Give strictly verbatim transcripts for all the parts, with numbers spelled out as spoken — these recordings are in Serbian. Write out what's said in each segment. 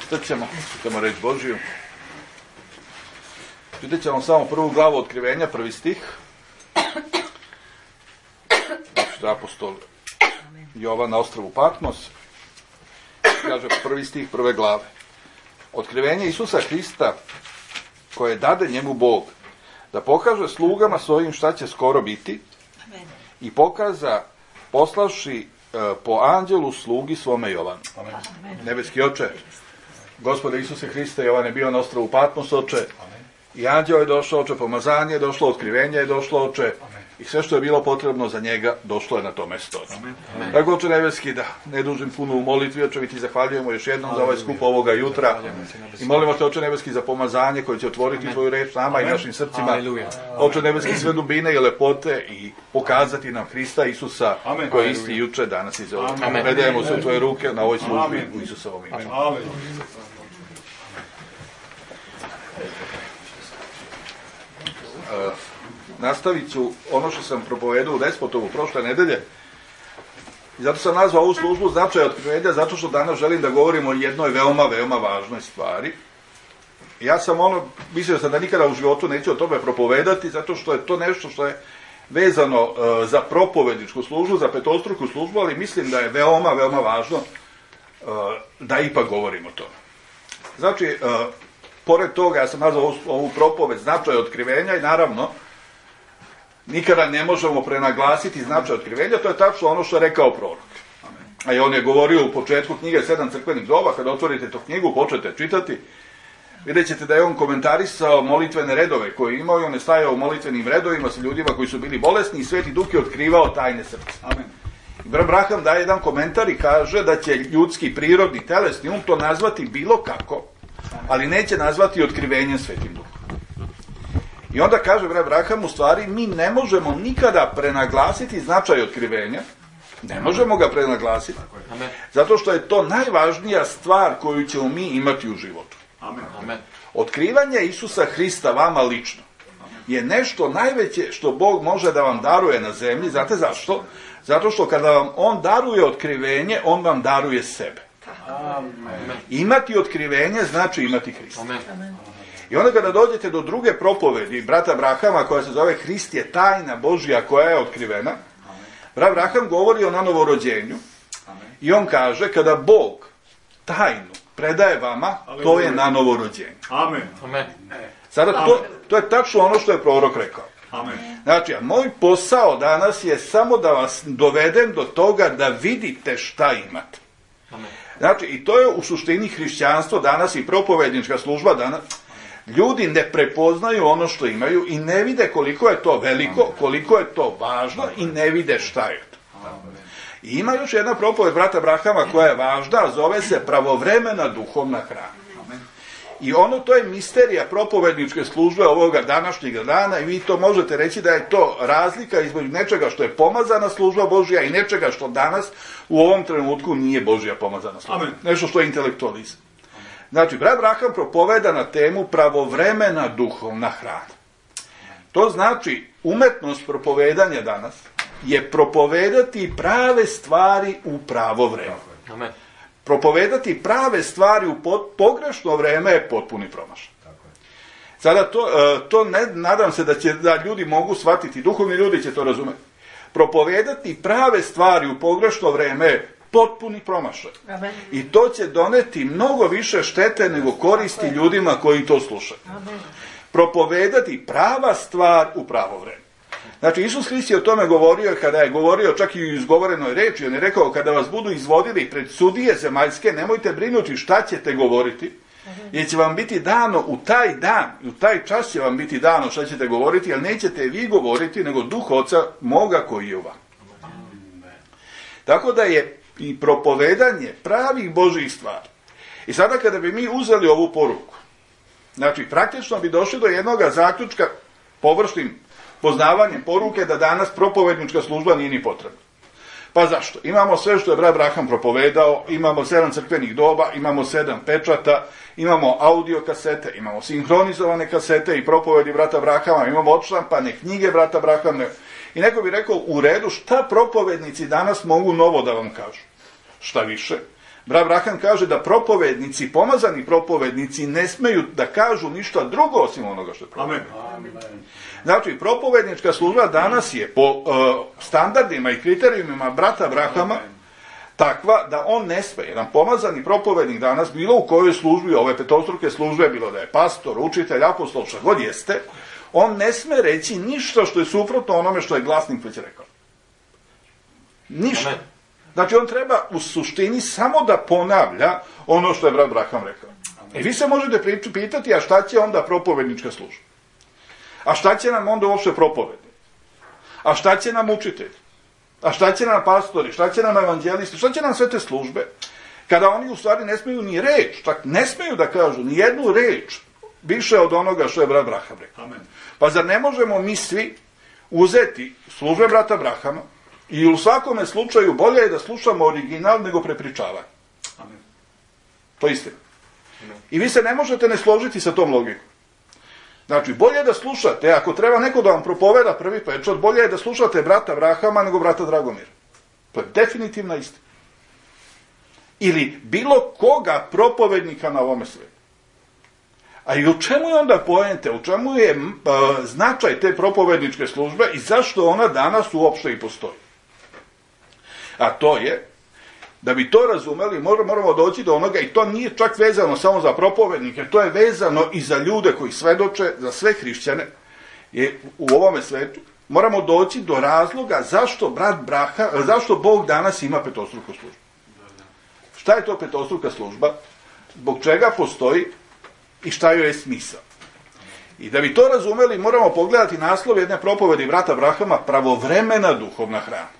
Šta ćemo? Čitamo reč Božiju. Čitat ćemo samo prvu glavu Otkrivenja, prvi stih. Što je apostol Jovan na ostrvu Patmos. Kaže prvi stih prve glave. Otkrivenje Isusa Hrista, koje dade njemu Bog, da pokaže slugama svojim šta će skoro biti, i pokaza poslavši e, po anđelu slugi svome Jovanu. Amen. Nebeski Oče, Gospode Isuse Hriste, Jovan je bio na ostrvu Patmos, Oče, i anđeo je došao, Oče, pomazanje je došlo, otkrivenje je došlo, Oče, amen. I sve što je bilo potrebno za njega došlo je na to mesto. Tako, Oče nebeski, da ne dužim puno u molitvi, Oče, mi ti zahvaljujemo još jednom za ovaj skup ovoga jutra i molimo te, Oče nebeski, za pomazanje koje će otvoriti amen. Tvoju reč nama amen. I našim srcima. Aleluja. Oče nebeski, sve dubine i lepote i pokazati nam Hrista Isusa amen. Koji je isti juče, danas i za ovo. Predajemo se u tvoje ruke na ovoj službi amen. U Isusovom imenu. Amen. Uh, nastavit ću ono što sam propovedao u Despotovu prošle nedelje i zato sam nazvao ovu službu Značaj otkrivenja, zato što danas želim da govorim o jednoj veoma, veoma važnoj stvari. Ja sam ono, mislio sam da nikada u životu neću o tome propovedati, zato što je to nešto što je vezano uh, za propovedničku službu, za petostruku službu, ali mislim da je veoma, veoma važno uh, da ipak govorim o tome. Znači, uh, pored toga, ja sam nazvao ovu, ovu propoved Značaj otkrivenja i naravno, nikada ne možemo prenaglasiti značaj otkrivenja, to je tačno ono što je rekao prorok. A i on je govorio u početku knjige Sedam crkvenih doba, kada otvorite tu knjigu, počnete čitati, vidjet ćete da je on komentarisao molitvene redove koje imao i on je stajao u molitvenim redovima sa ljudima koji su bili bolesni i Sveti Duh je otkrivao tajne srca. Amen. I Brat Braham daje jedan komentar i kaže da će ljudski, prirodni, telesni um to nazvati bilo kako, ali neće nazvati otkrivenjem Svetim Duhom. I onda kaže Brat Braham, u stvari mi ne možemo nikada prenaglasiti značaj otkrivenja, ne možemo ga prenaglasiti, zato što je to najvažnija stvar koju ćemo mi imati u životu. Amen. Otkrivanje Isusa Hrista vama lično je nešto najveće što Bog može da vam daruje na zemlji. Znate zašto? Zato što kada vam On daruje otkrivenje, On vam daruje sebe. Amen. Imati otkrivenje znači imati Hrista. Amen. I onda kada dođete do druge propovedi brata Brahama koja se zove Hrist je tajna Božja koja je otkrivena, amen. Brat Braham govori o nanoworođenju i on kaže kada Bog tajnu predaje vama, to je nanoworođenje. Amen. Amen. Sada to, to je tačno ono što je prorok rekao. Amen. Znači, a moj posao danas je samo da vas dovedem do toga da vidite šta imate. Amen. Znači, i to je u suštini hrišćanstvo danas i propovednička služba danas. Ljudi ne prepoznaju ono što imaju i ne vide koliko je to veliko, koliko je to važno i ne vide šta je to. I ima još jedna propoved brata Brahama koja je važna, zove se pravovremena duhovna hrana. I ono, to je misterija propovedničke službe ovoga današnjeg dana i vi to možete reći da je to razlika između nečega što je pomazana služba Božja i nečega što danas u ovom trenutku nije Božja pomazana služba. Amen. Nešto što je intelektualizam. Znači, brat Braham propoveda na temu pravovremena duhovna hrana. To znači, umetnost propovedanja danas je propovedati prave stvari u pravo vreme. Amen. Propovedati prave stvari u pogrešno vreme je potpuni promašaj. Sada to, to ne, nadam se da će da ljudi mogu shvatiti, duhovni ljudi će to razumeti. Propovedati prave stvari u pogrešno vreme je potpuni promašaj. Amen. I to će doneti mnogo više štete nego koristi ljudima koji to slušaju. Amen. Propovedati prava stvar u pravo vreme. Znači, Isus Hrist je o tome govorio kada je govorio čak i u izgovorenoj reči. On je rekao, kada vas budu izvodili pred sudije zemaljske, nemojte brinuti šta ćete govoriti, jer će vam biti dano u taj dan, u taj čas će vam biti dano šta ćete govoriti, ali nećete vi govoriti, nego Duh Oca moga koji je u vama. Tako da je i propovedanje pravih Božjih stvari. I sada kada bi mi uzeli ovu poruku, znači praktično bi došli do jednog zaključka površnim poznavanjem poruke da danas propovednička služba nije ni potrebna. Pa zašto? Imamo sve što je brat Braham propovedao, imamo sedam crkvenih doba, imamo sedam pečata, imamo audio kasete, imamo sinhronizovane kasete i propovedi brata Brahama, imamo odštampane knjige brata Brahama. I neko bi rekao, u redu, šta propovednici danas mogu novo da vam kažu? Šta više? Brat Braham kaže da propovednici, pomazani propovednici ne smeju da kažu ništa drugo osim onoga što je propoved. Znači, propovednička služba danas je po uh, standardima i kriterijumima brata Brahama takva da on ne sme. Jedan pomazani propovednik danas, bilo u kojoj službi, ove petostruke službe, bilo da je pastor, učitelj, apostol, što god jeste, on ne sme reći ništa što je suprotno onome što je glasnik već rekao. Ništa. Znači, on treba u suštini samo da ponavlja ono što je brat Braham rekao. I vi se možete pitati, a šta će onda propovednička služba? A šta će nam onda uopšte propovednik? A šta će nam učitelj? A šta će nam pastori? Šta će nam evanđelisti? Šta će nam sve te službe? Kada oni u stvari ne smeju ni reč, čak ne smeju da kažu ni jednu reč više od onoga što je brat Braham rekao. Amen. Pa zar ne možemo mi svi uzeti službe brata Brahama i u svakome slučaju bolje je da slušamo original nego prepričavanje. Amen. To je istina. Amen. I vi se ne možete ne složiti sa tom logikom. Znači, bolje je da slušate, ako treba neko da vam propoveda prvi pečat, bolje je da slušate brata Brahama nego brata Dragomira. To je definitivna istina. Ili bilo koga propovednika na ovome svijetu. A i u čemu je onda poente, u čemu je uh, značaj te propovedničke službe i zašto ona danas uopšte i postoji? A to je, da bi to razumeli, moramo doći do onoga, i to nije čak vezano samo za propovednike, to je vezano i za ljude koji svedoče, za sve hrišćane je u ovome svetu. Moramo doći do razloga zašto brat Braha, zašto Bog danas ima petostruku službu. Šta je to petostruka služba? Zbog čega postoji i šta joj je smisao? I da bi to razumeli, moramo pogledati naslov jedne propovedi brata Brahama, pravovremena duhovna hrana.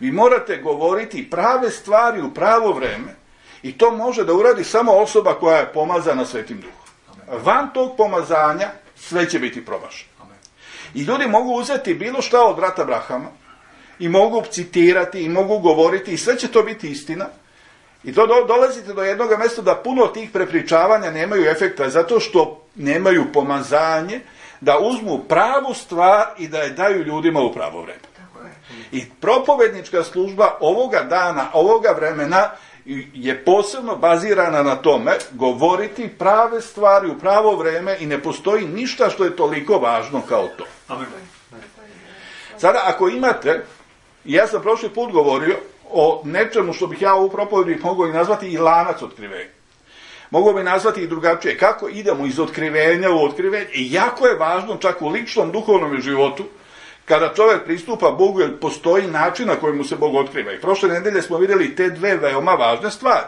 Vi morate govoriti prave stvari u pravo vreme i to može da uradi samo osoba koja je pomazana Svetim Duhom. Van tog pomazanja sve će biti promašeno. I ljudi mogu uzeti bilo šta od brata Brahama i mogu citirati i mogu govoriti i sve će to biti istina. I to do, dolazite do jednog mjesta da puno tih prepričavanja nemaju efekta zato što nemaju pomazanje da uzmu pravu stvar i da je daju ljudima u pravo vreme. I propovednička služba ovoga dana, ovoga vremena je posebno bazirana na tome govoriti prave stvari u pravo vreme i ne postoji ništa što je toliko važno kao to. Amen. Sada, ako imate, ja sam prošli put govorio o nečemu što bih ja u propovedi mogao i nazvati i lanac otkrivenja. Mogu bi nazvati i drugačije. Kako idemo iz otkrivenja u otkrivenje? I jako je važno čak u ličnom duhovnom životu kada čovjek pristupa Bogu, jer postoji način na koji mu se Bog otkriva. I prošle nedelje smo vidjeli te dve veoma važne stvari.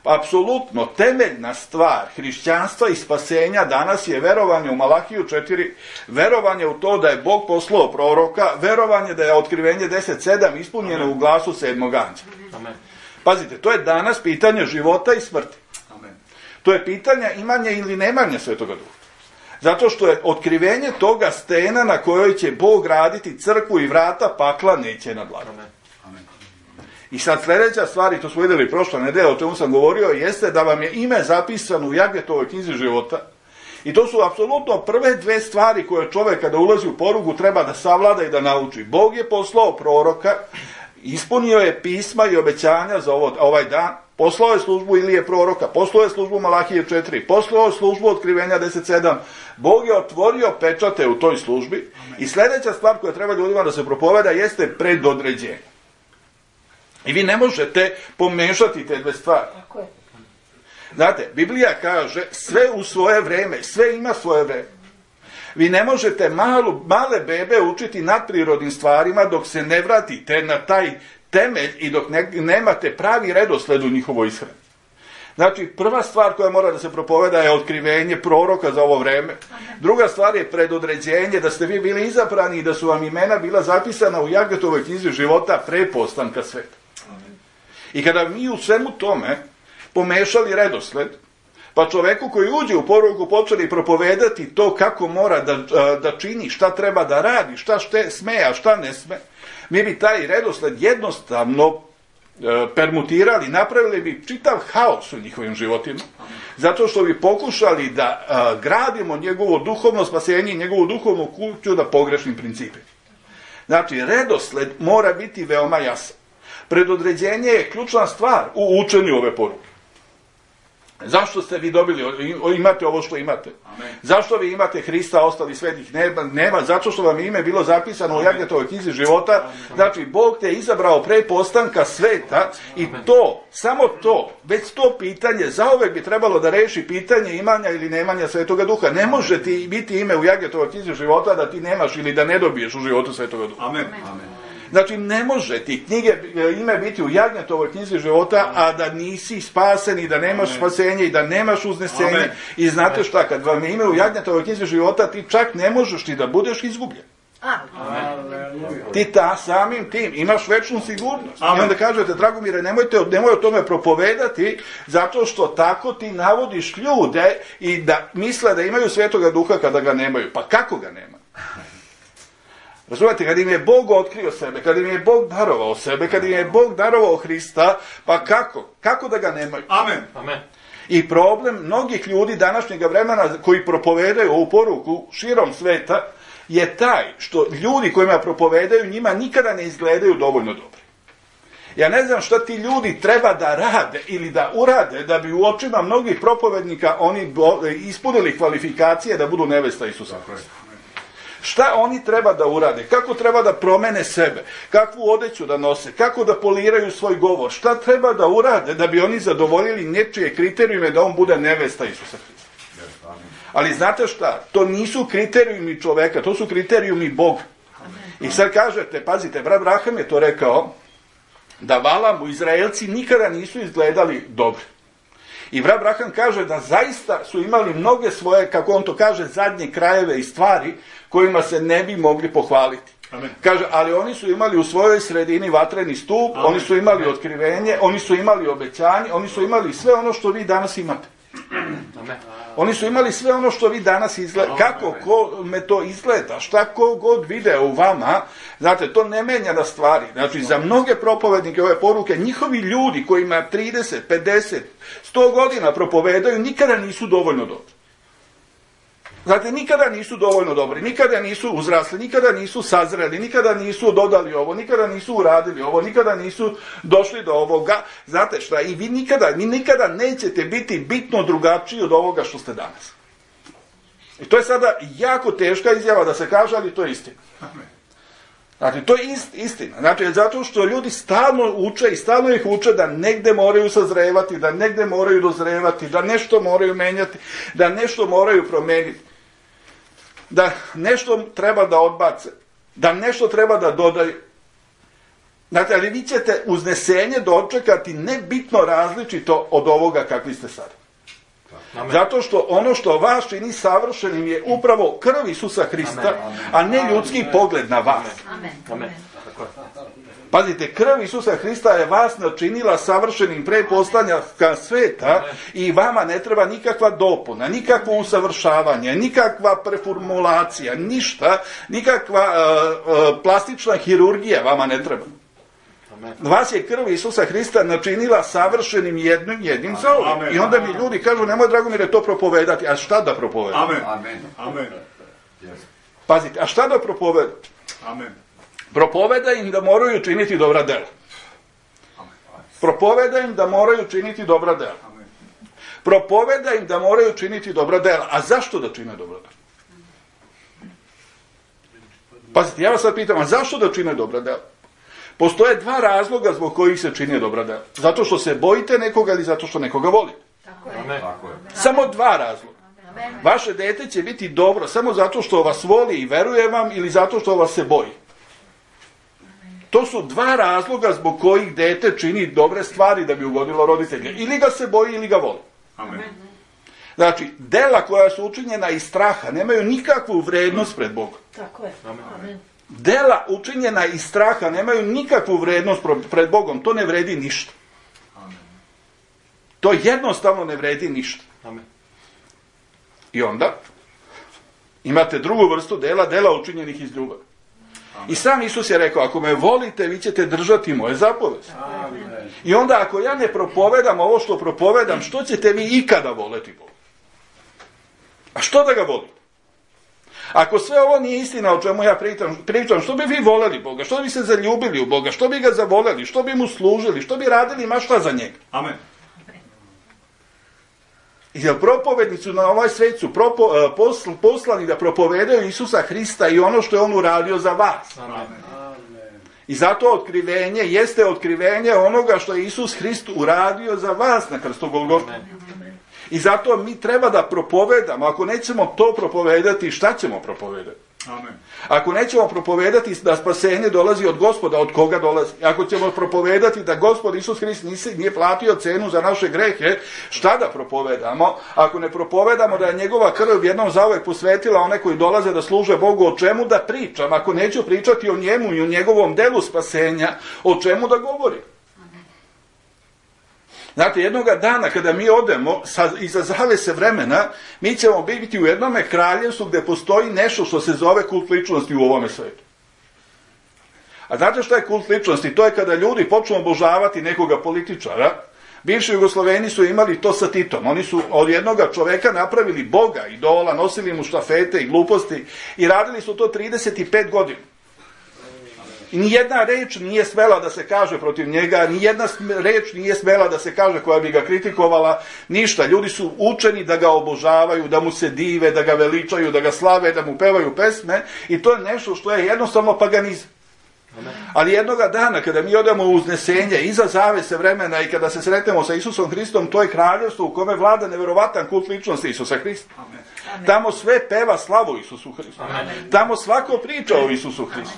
Apsolutno, temeljna stvar hrišćanstva i spasenja danas je verovanje u Malahiju četiri, verovanje u to da je Bog poslao proroka, verovanje da je otkrivenje deset sedam ispunjeno Amen. U glasu sedmog anđela. Pazite, to je danas pitanje života i smrti. Amen. To je pitanje imanja ili nemanja Svetoga Duha. Zato što je otkrivenje toga stena na kojoj će Bog raditi crkvu i vrata pakla neće nadvladati. I sad sljedeća stvar, i to smo vidjeli prošla nedelja, o čemu sam govorio, jeste da vam je ime zapisano u Jagetovoj knjizi života. I to su apsolutno prve dve stvari koje čovjek kada ulazi u porugu treba da savlada i da nauči. Bog je poslao proroka, ispunio je pisma i obećanja za ovo, ovaj dan, poslao je službu Ilije proroka, poslao je službu Malahije četiri, poslao je službu otkrivenja deset sedam. Bog je otvorio pečate u toj službi. Amen. I sljedeća stvar koja treba ljudima da se propoveda jeste predodređenje. I vi ne možete pomešati te dve stvari. Znate, Biblija kaže sve u svoje vreme, sve ima svoje vreme. Vi ne možete malu, male bebe učiti nadprirodnim stvarima dok se ne vratite na taj temelj i dok ne, nemate pravi redosled u njihovoj ishrani. Znači, prva stvar koja mora da se propoveda je otkrivenje proroka za ovo vreme. Druga stvar je predodređenje, da ste vi bili izabrani i da su vam imena bila zapisana u Jagetovoj knjizi života pre postanka sveta. I kada mi u svemu tome pomešali redosled, pa čoveku koji uđe u poruku počeli propovedati to kako mora da, da čini, šta treba da radi, šta šte sme, a šta ne sme, mi bi taj redosled jednostavno e, permutirali, napravili bi čitav haos u njihovim životima, zato što bi pokušali da e, gradimo njegovo duhovno spasenje i njegovu duhovnu kuću na pogrešnim principima. Znači, redosled mora biti veoma jasan. Predodređenje je ključna stvar u učenju ove poruke. Zašto ste vi dobili, imate ovo što imate? Amen. Zašto vi imate Hrista, ostali svetih nema, nema? Zato što vam je ime bilo zapisano u Jagnetovoj knjizi života. Amen. Znači, Bog te je izabrao pre postanka sveta i to, samo to, već to pitanje, zauvek bi trebalo da reši pitanje imanja ili nemanja Svetoga Duha. Ne može ti biti ime u Jagnetovoj knjizi života da ti nemaš ili da ne dobiješ u životu Svetoga Duha. Amen. Amen. Znači, ne može ti knjige, ime biti u Jagnetovoj knjizi života, a da nisi spasen i da nemaš spasenje i da nemaš uznesenje. Amen. I znate šta, kad vam je ime u Jagnetovoj knjizi života, ti čak ne možeš ti da budeš izgubljen. Amen. Ti ta samim tim imaš večnu sigurnost. Amen. I onda kažete, Dragomire, nemojte, nemoj o tome propovedati, zato što tako ti navodiš ljude i da misle da imaju Svetoga Duha kada ga nemaju. Pa kako ga nema? Razumete, kad im je Bog otkrio sebe, kad im je Bog darovao sebe, kad im je Bog darovao Hrista, pa kako? Kako da ga nemaju? Amen. Amen. I problem mnogih ljudi današnjeg vremena koji propovedaju ovu poruku širom sveta je taj što ljudi kojima propovedaju njima nikada ne izgledaju dovoljno dobri. Ja ne znam šta ti ljudi treba da rade ili da urade da bi u očima mnogih propovednika oni ispunili kvalifikacije da budu nevesta Isusa Hrista. Šta oni treba da urade, kako treba da promene sebe, kakvu odeću da nose, kako da poliraju svoj govor, šta treba da urade da bi oni zadovoljili nečije kriterijume da on bude nevesta Isusa Hrista. Ali znate šta, to nisu kriterijumi čoveka, to su kriterijumi Boga. I sad kažete, pazite, brat Abraham je to rekao, da Valamu Izraelci nikada nisu izgledali dobro. I brat Abraham kaže da zaista su imali mnoge svoje, kako on to kaže, zadnje krajeve i stvari kojima se ne bi mogli pohvaliti. Amen. Kaže, ali oni su imali u svojoj sredini vatreni stup, Amen. Oni su imali otkrivenje, oni su imali obećanje, oni su imali sve ono što vi danas imate. Amen. Oni su imali sve ono što vi danas izgleda. Kako ko me to izgleda, šta ko god video u vama, znate, to ne menja na stvari. Znači, za mnoge propovednike ove poruke, njihovi ljudi kojima trideset, pedeset, sto godina propovedaju, nikada nisu dovoljno dobri. Znate, nikada nisu dovoljno dobri, nikada nisu uzrasli, nikada nisu sazreli, nikada nisu dodali ovo, nikada nisu uradili ovo, nikada nisu došli do ovoga. Znate šta, i vi nikada, vi nikada nećete biti bitno drugačiji od ovoga što ste danas. I to je sada jako teška izjava da se kaže, ali to je istina. Znači, to je ist, istina. Znači, zato što ljudi stalno uče i stalno ih uče da negde moraju sazrevati, da negde moraju dozrevati, da nešto moraju menjati, da nešto moraju promeniti, da nešto treba da odbace, da nešto treba da dodaju. Znači, ali vi ćete uznesenje dočekati nebitno različito od ovoga kakvi ste sad. Amen. Zato što ono što vas čini savršenim je upravo krv Isusa Hrista, amen, a ne ljudski amen. Pogled na vas. Amen. Amen. Pazite, krv Isusa Hrista je vas načinila savršenim pre postanka sveta amen. I vama ne treba nikakva dopuna, nikakvo usavršavanje, nikakva preformulacija, ništa, nikakva uh, uh, plastična hirurgija vama ne treba. Vas je krv Isusa Hrista načinila savršenim jednim jednim zauvek. I onda mi ljudi kažu, nemoj Dragomire to propovedati. A šta da propovedati? Amen. Amen. Amen. Pazite, a šta da propovedati? Amen. Propoveda im da moraju činiti dobra dela. Propoveda im da moraju činiti dobra dela. Propoveda im da moraju činiti dobra dela. A zašto da čine dobra dela? Pazite, ja vas sad pitam, a zašto da čine dobra dela? Postoje dva razloga zbog kojih se čini dobra dela. Zato što se bojite nekoga ili zato što nekoga volite. Tako je. Tako je. Samo dva razloga. Vaše dete će biti dobro samo zato što vas voli i veruje vam ili zato što vas se boji. To su dva razloga zbog kojih dete čini dobre stvari da bi ugodilo roditelje. Ili ga se boji ili ga voli. Amen. Znači, dela koja su učinjena iz straha nemaju nikakvu vrednost pred Bogom. Tako je. Amen. Dela učinjena iz straha nemaju nikakvu vrednost pred Bogom. To ne vredi ništa. Amen. To jednostavno ne vredi ništa. Amen. I onda imate drugu vrstu dela, dela učinjenih iz ljubavi. Amen. I sam Isus je rekao, ako me volite, vi ćete držati moje zapovesti. Amen. I onda ako ja ne propovedam ovo što propovedam, što ćete vi ikada voleti Boga? A što da ga volite? Ako sve ovo nije istina o čemu ja pričam, pričam, što bi vi voleli Boga, što bi se zaljubili u Boga, što bi ga zavoleli, što bi mu služili, što bi radili ma šta za njega? Amen. Jer propovednici na ovaj svijet su propo, posl, poslani da propovedaju Isusa Hrista i ono što je on uradio za vas. Amen. I zato otkrivenje jeste otkrivenje onoga što je Isus Hrist uradio za vas na krstu Golgote. I zato mi treba da propovedamo. Ako nećemo to propovedati, šta ćemo propovedati? Amen. Ako nećemo propovedati da spasenje dolazi od Gospoda, od koga dolazi? Ako ćemo propovedati da Gospod Isus Hrist nije platio cenu za naše grehe, šta da propovedamo? Ako ne propovedamo da je njegova krv jednom zauvek posvetila one koji dolaze da služe Bogu, o čemu da pričam? Ako neću pričati o njemu i o njegovom delu spasenja, o čemu da govorim? Znate, jednoga dana kada mi odemo sa, iza zavese vremena, mi ćemo biti u jednome kraljevstvu gdje postoji nešto što se zove kult ličnosti u ovome svijetu. A znate što je kult ličnosti? To je kada ljudi počnu obožavati nekoga političara. Bivši Jugosloveni su imali to sa Titom. Oni su od jednoga čoveka napravili Boga, idola, nosili mu štafete i gluposti i radili su to trideset pet godina. I nijedna reč nije smela da se kaže protiv njega, nijedna reč nije smela da se kaže koja bi ga kritikovala, ništa. Ljudi su učeni da ga obožavaju, da mu se dive, da ga veličaju, da ga slave, da mu pevaju pesme i to je nešto što je jednostavno paganizam. Ali jednoga dana kada mi odemo u uznesenje iza zavese vremena i kada se sretnemo sa Isusom Hristom, to je kraljevstvo u kome vlada neverovatan kult ličnosti Isusa Hrista. Amen. Tamo sve peva slavu Isusu Hristu. Tamo svako priča o Isusu Hristu.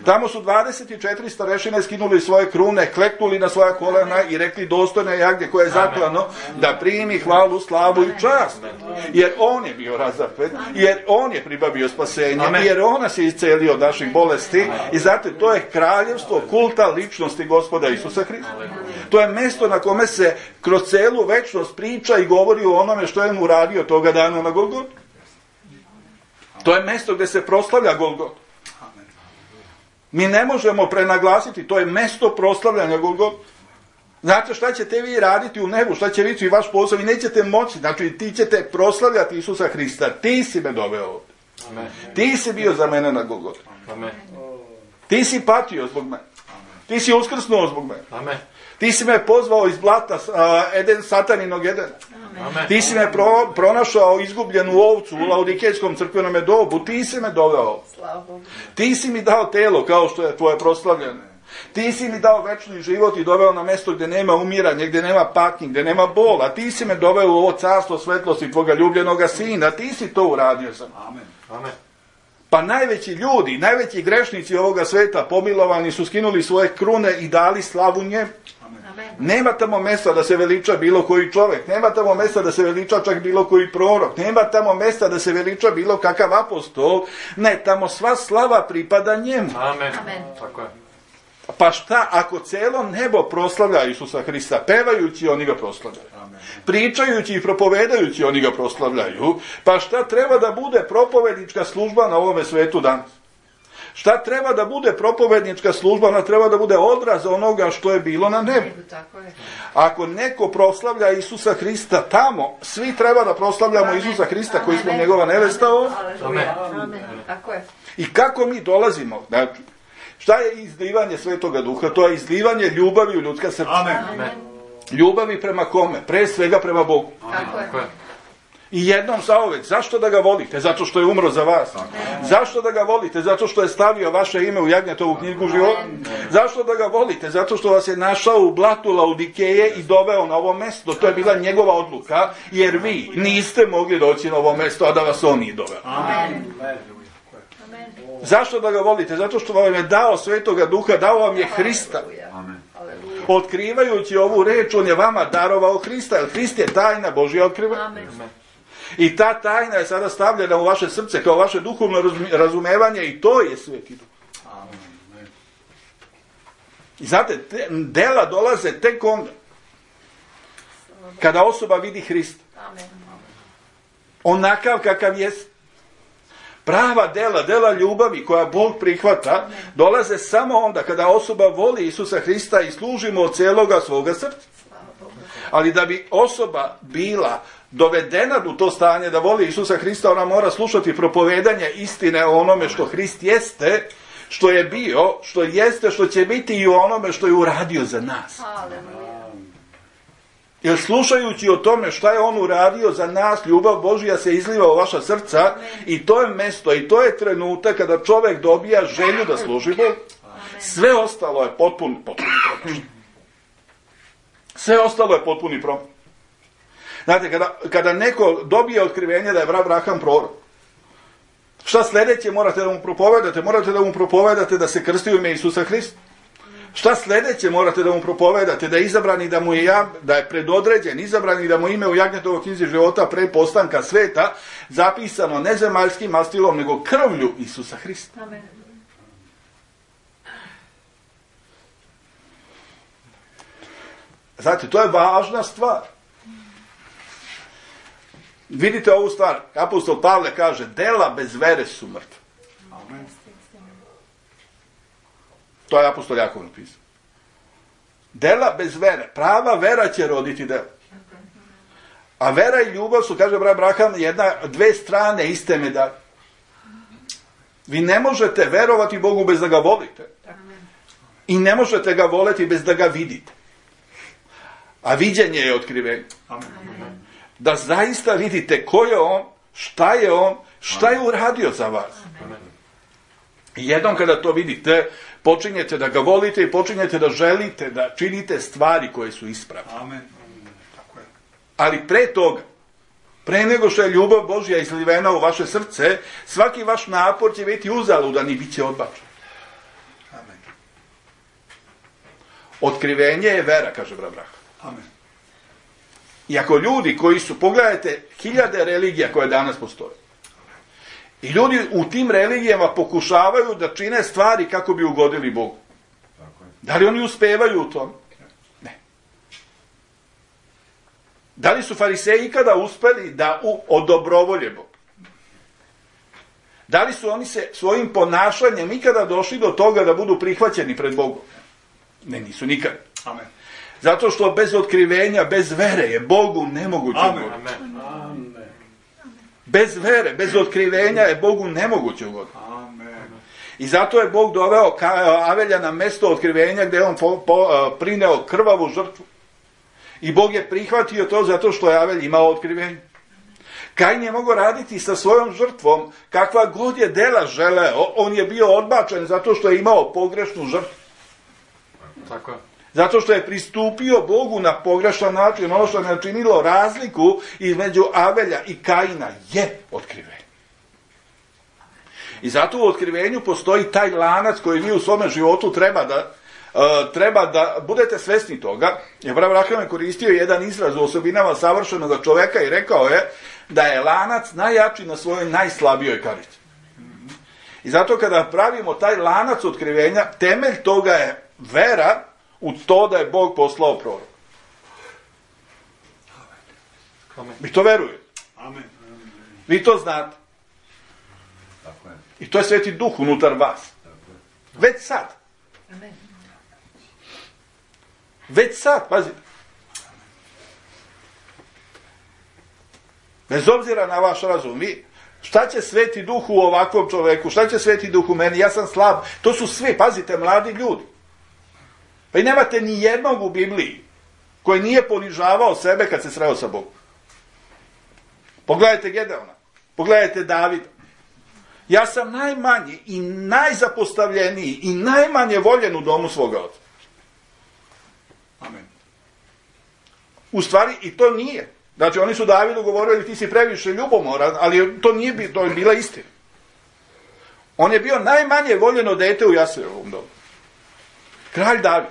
Tamo su dvadeset četiri starešine skinuli svoje krune, kleknuli na svoja kolena i rekli dostojne jagnje koje je zaklano da primi hvalu, slavu i čast. Jer on je bio razapet, jer on je pribavio spasenje, jer on nas je iscelio od naših bolesti i zato to je kraljevstvo kulta ličnosti Gospoda Isusa Hrista. To je mesto na kome se kroz celu večnost priča i govori o onome što je mu uradio toga dana na Golgotu. To je mesto gdje se proslavlja Golgota. Mi ne možemo prenaglasiti, to je mesto proslavljanja Golgota. Znate šta ćete vi raditi u nebu, šta će biti i vaš posao, vi nećete moći, znači ti ćete proslavljati Isusa Hrista, ti si me doveo ovdje. Amen. Ti si bio za mene na Golgotu. Amen. Ti si patio zbog mene. Ti si uskrsnuo zbog mene. Amen. Ti si me pozvao iz blata uh, Eden, sataninog Edena. Amen. Ti si me pro, pronašao izgubljenu ovcu u Laodikejskom crkvenome dobu. Ti si me doveo. Ti si mi dao telo kao što je tvoje proslavljene. Ti si mi dao večni život i doveo na mjesto gdje nema umiranja, gdje nema patnji, gdje nema bola. Ti si me doveo u ovo carstvo svetlosti tvoga ljubljenoga sina. Ti si to uradio za mene. Amen. Amen. Pa najveći ljudi, najveći grešnici ovoga sveta, pomilovani su, skinuli svoje krune i dali slavu njemu. Nema tamo mjesta da se veliča bilo koji čovjek, nema tamo mjesta da se veliča čak bilo koji prorok, nema tamo mjesta da se veliča bilo kakav apostol, ne, tamo sva slava pripada njemu. Amen. Amen. Tako je. Pa šta ako cijelo nebo proslavlja Isusa Hrista, pevajući oni ga proslavljaju, amen, pričajući i propovedajući oni ga proslavljaju, pa šta treba da bude propovednička služba na ovome svetu danas? Šta treba da bude propovednička služba? Ona treba da bude odraz onoga što je bilo na nebu. Ako neko proslavlja Isusa Hrista tamo, svi treba da proslavljamo amen. Isusa Hrista koji smo njegova nevesta ovdje. Amen. Amen. Tako je. I kako mi dolazimo? Znači, šta je izlivanje Svetoga Duha? To je izlivanje ljubavi u ljudska srca. Amen. Amen. Ljubavi prema kome? Pre svega prema Bogu. Tako je. I jednom zauvek. Zašto da ga volite? Zato što je umro za vas. Amen. Zašto da ga volite? Zato što je stavio vaše ime u Jagnjetovu knjigu života. Zašto da ga volite? Zato što vas je našao u blatu Laodikeje i doveo na ovo mjesto. To je bila njegova odluka, jer vi niste mogli doći na ovo mjesto, a da vas on nije doveo. Amen. Zašto da ga volite? Zato što vam je dao Svetoga Duha, dao vam je Hrista. Amen. Otkrivajući ovu reč, on je vama darovao Hrista, jer Hrist je tajna Božja otkriva. Amen. I ta tajna je sada stavljena u vaše srce kao vaše duhovno razumevanje i to je Sveti Duh. Amen. I znate, te, dela dolaze tek onda kada osoba vidi Hrista. Amen. Onakav kakav jest. Prava dela, dela ljubavi koja Bog prihvata, dolaze samo onda kada osoba voli Isusa Hrista i služi mu od cijeloga svoga srca. Ali da bi osoba bila dovedena u to stanje da voli Isusa Hrista, ona mora slušati propovedanje istine o onome što Hrist jeste, što je bio, što jeste, što će biti i o onome što je uradio za nas. Jer slušajući o tome šta je on uradio za nas, ljubav Božja se izliva u vaša srca i to je mesto i to je trenutak kada čovjek dobija želju da služi Bogu. Sve ostalo je potpuni, potpuni promašaj. Sve ostalo je potpuni promašaj. Znate, kada, kada neko dobije otkrivenje da je Abraham prorok, šta sljedeće morate da mu propovedate? Morate da mu propovedate da se krsti u ime Isusa Hrista. Šta sljedeće morate da mu propovedate? Da je izabrani, da mu je, ja, da je predodređen, izabrani da mu ime u Jagnjetovoj knjizi života pre postanka sveta zapisano ne zemaljskim mastilom, nego krvlju Isusa Hrista. Amen. Znate, to je važna stvar. Vidite ovu stvar, apostol Pavle kaže, dela bez vere su mrtva. Amen. To je apostol Jakov napisao. Dela bez vere, prava vera će roditi dela. A vera i ljubav su, kaže brat Abraham, jedna, dve strane iste medalje. Vi ne možete verovati Bogu bez da ga volite. I ne možete ga voleti bez da ga vidite. A viđenje je otkrivenje. Da zaista vidite ko je on, šta je on, šta je uradio za vas. I jednom kada to vidite, počinjete da ga volite i počinjete da želite da činite stvari koje su ispravne. Amen. Ali pre toga, pre nego što je ljubav Božja izlivena u vaše srce, svaki vaš napor će biti uzaludan i bit će odbačen. Amen. Otkrivenje je vera, kaže brat Abraham. Amen. I ako ljudi koji su, pogledajte, hiljade religija koje danas postoje, i ljudi u tim religijama pokušavaju da čine stvari kako bi ugodili Bogu. Da li oni uspevaju u tom? Ne. Da li su fariseji ikada uspeli da u, odobrovolje Bogu? Da li su oni se svojim ponašanjem ikada došli do toga da budu prihvaćeni pred Bogom? Ne, nisu nikada. Amen. Zato što bez otkrivenja, bez vere je Bogu nemoguće. Amen. Amen. Amen. Bez vere, bez otkrivenja je Bogu nemoguće ugoditi. I zato je Bog doveo Avelja na mesto otkrivenja gdje je on po, po, prineo krvavu žrtvu. I Bog je prihvatio to zato što je Avelj imao otkrivenje. Kain je mogao raditi sa svojom žrtvom kakva god je dela želeo. On je bio odbačen zato što je imao pogrešnu žrtvu. Tako je. Zato što je pristupio Bogu na pogrešan način. Ono što je načinilo razliku između Avelja i Kaina je otkrivenje. I zato u otkrivenju postoji taj lanac koji vi u svome životu treba da, uh, treba da budete svesni toga. Jer Abraham je koristio jedan izraz u osobinama savršenog čoveka i rekao je da je lanac najjači na svojoj najslabijoj karici. I zato kada pravimo taj lanac otkrivenja, temelj toga je vera u to da je Bog poslao prorok. Vi to verujete. Amen. Vi to znate. I to je Sveti Duh unutar vas. Već sad. Već sad, pazite. Bez obzira na vaš razum, vi, šta će Sveti Duh u ovakvom čoveku, šta će Sveti Duh u meni, ja sam slab. To su svi, pazite, mladi ljudi. Pa i nemate ni jednog u Bibliji koji nije ponižavao sebe kad se sreo sa Bogom. Pogledajte Gedeona, pogledajte Davida. Ja sam najmanji i najzapostavljeniji i najmanje voljen u domu svoga oca. Amen. U stvari i to nije. Znači oni su Davidu govorili ti si previše ljubomoran, ali to nije bi, to je bila istina. On je bio najmanje voljeno dete u Jasejevom domu. Kralj David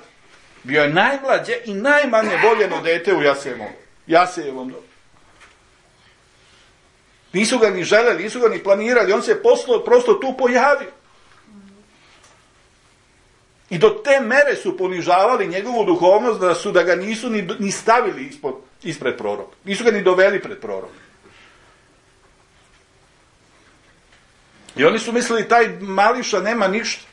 bio je najmlađe i najmanje voljeno dete u Jasejevom, Jasejevom domu. Nisu ga ni želeli, nisu ga ni planirali, on se poslo, prosto tu pojavio. I do te mere su ponižavali njegovu duhovnost da su da ga nisu ni, ni stavili ispod, ispred proroka. Nisu ga ni doveli pred proroka. I oni su mislili taj mališa nema ništa.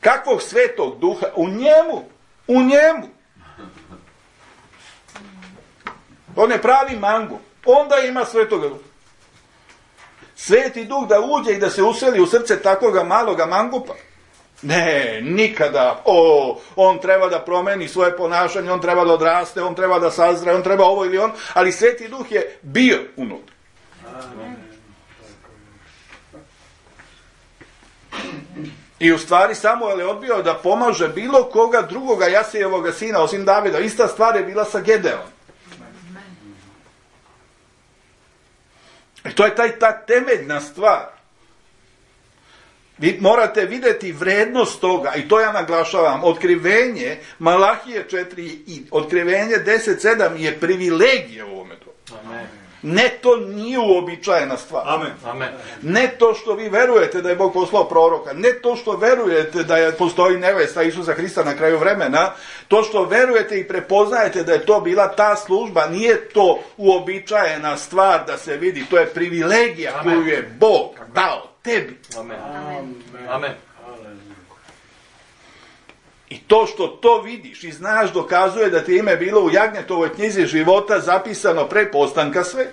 Kakvog svetog duha? U njemu, u njemu. On je pravi mangup. Onda ima Svetoga Duha. Sveti Duh da uđe i da se useli u srce takvoga maloga mangupa? Ne, nikada. O, on treba da promeni svoje ponašanje, on treba da odraste, on treba da sazre, on treba ovo ili on, ali Sveti Duh je bio unutra. I u stvari Samuel je odbio da pomaže bilo koga drugoga Jasejevoga sina, osim Davida. Ista stvar je bila sa Gedeom. I to je taj, ta temeljna stvar. Vi morate vidjeti vrednost toga, i to ja naglašavam, otkrivenje Malahije četiri i otkrivenje deset sedam je privilegija u ovome to. Amen. Ne, to nije uobičajena stvar. Amen. Amen. Ne to što vi verujete da je Bog poslao proroka, ne to što verujete da je, postoji nevesta Isusa Hrista na kraju vremena, to što verujete i prepoznajete da je to bila ta služba, nije to uobičajena stvar da se vidi, to je privilegija Amen. Koju je Bog dao tebi. Amen. Amen. I to što to vidiš i znaš dokazuje da ti ime bilo u Jagnjetovoj knjizi života zapisano pre postanka sveta.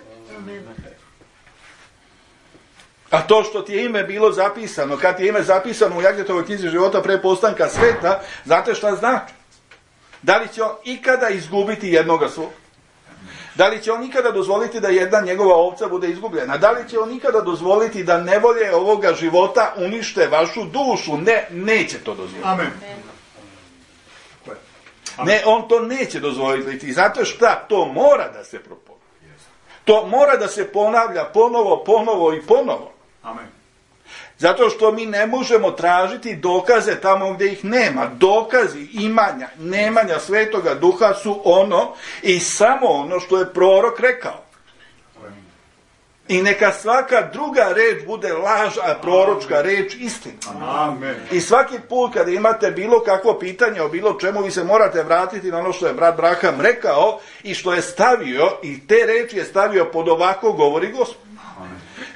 A to što ti je ime bilo zapisano, kad ti je ime zapisano u Jagnjetovoj knjizi života pre postanka sveta, znate šta znači? Da li će on ikada izgubiti jednoga svog? Da li će on ikada dozvoliti da jedna njegova ovca bude izgubljena? Da li će on ikada dozvoliti da nevolje ovoga života unište vašu dušu? Ne, neće to dozvoliti. Amen. Ne, on to neće dozvoliti. Zato šta? To mora da se propoveda. To mora da se ponavlja ponovo, ponovo i ponovo. Amen. Zato što mi ne možemo tražiti dokaze tamo gdje ih nema. Dokazi imanja, nemanja Svetoga Duha su ono i samo ono što je prorok rekao. I neka svaka druga reč bude laž, a proročka reč istina. Amen. I svaki put kada imate bilo kakvo pitanje o bilo čemu, vi se morate vratiti na ono što je brat Braham rekao i što je stavio, i te reči je stavio pod ovako govori Gospod.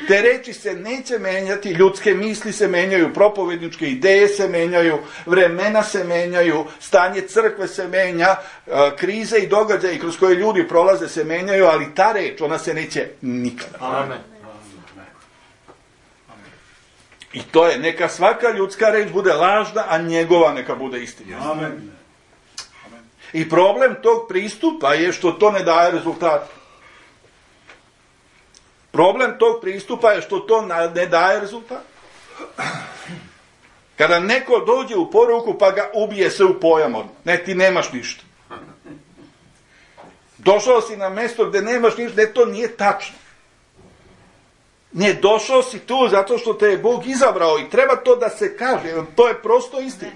Te reči se neće menjati, ljudske misli se menjaju, propovedničke ideje se menjaju, vremena se menjaju, stanje crkve se menja, krize i događaje kroz koje ljudi prolaze se menjaju, ali ta reč, ona se neće nikada. Amen. I to je, neka svaka ljudska reč bude lažna, a njegova neka bude istina. Amen. I problem tog pristupa je što to ne daje rezultata. Problem tog pristupa je što to ne daje rezultat. Kada neko dođe u poruku pa ga ubije se u pojam odmah. Ne, ti nemaš ništa. Došao si na mjesto gdje nemaš ništa, ne, to nije tačno. Ne, došao si tu zato što te je Bog izabrao i treba to da se kaže. To je prosto istina.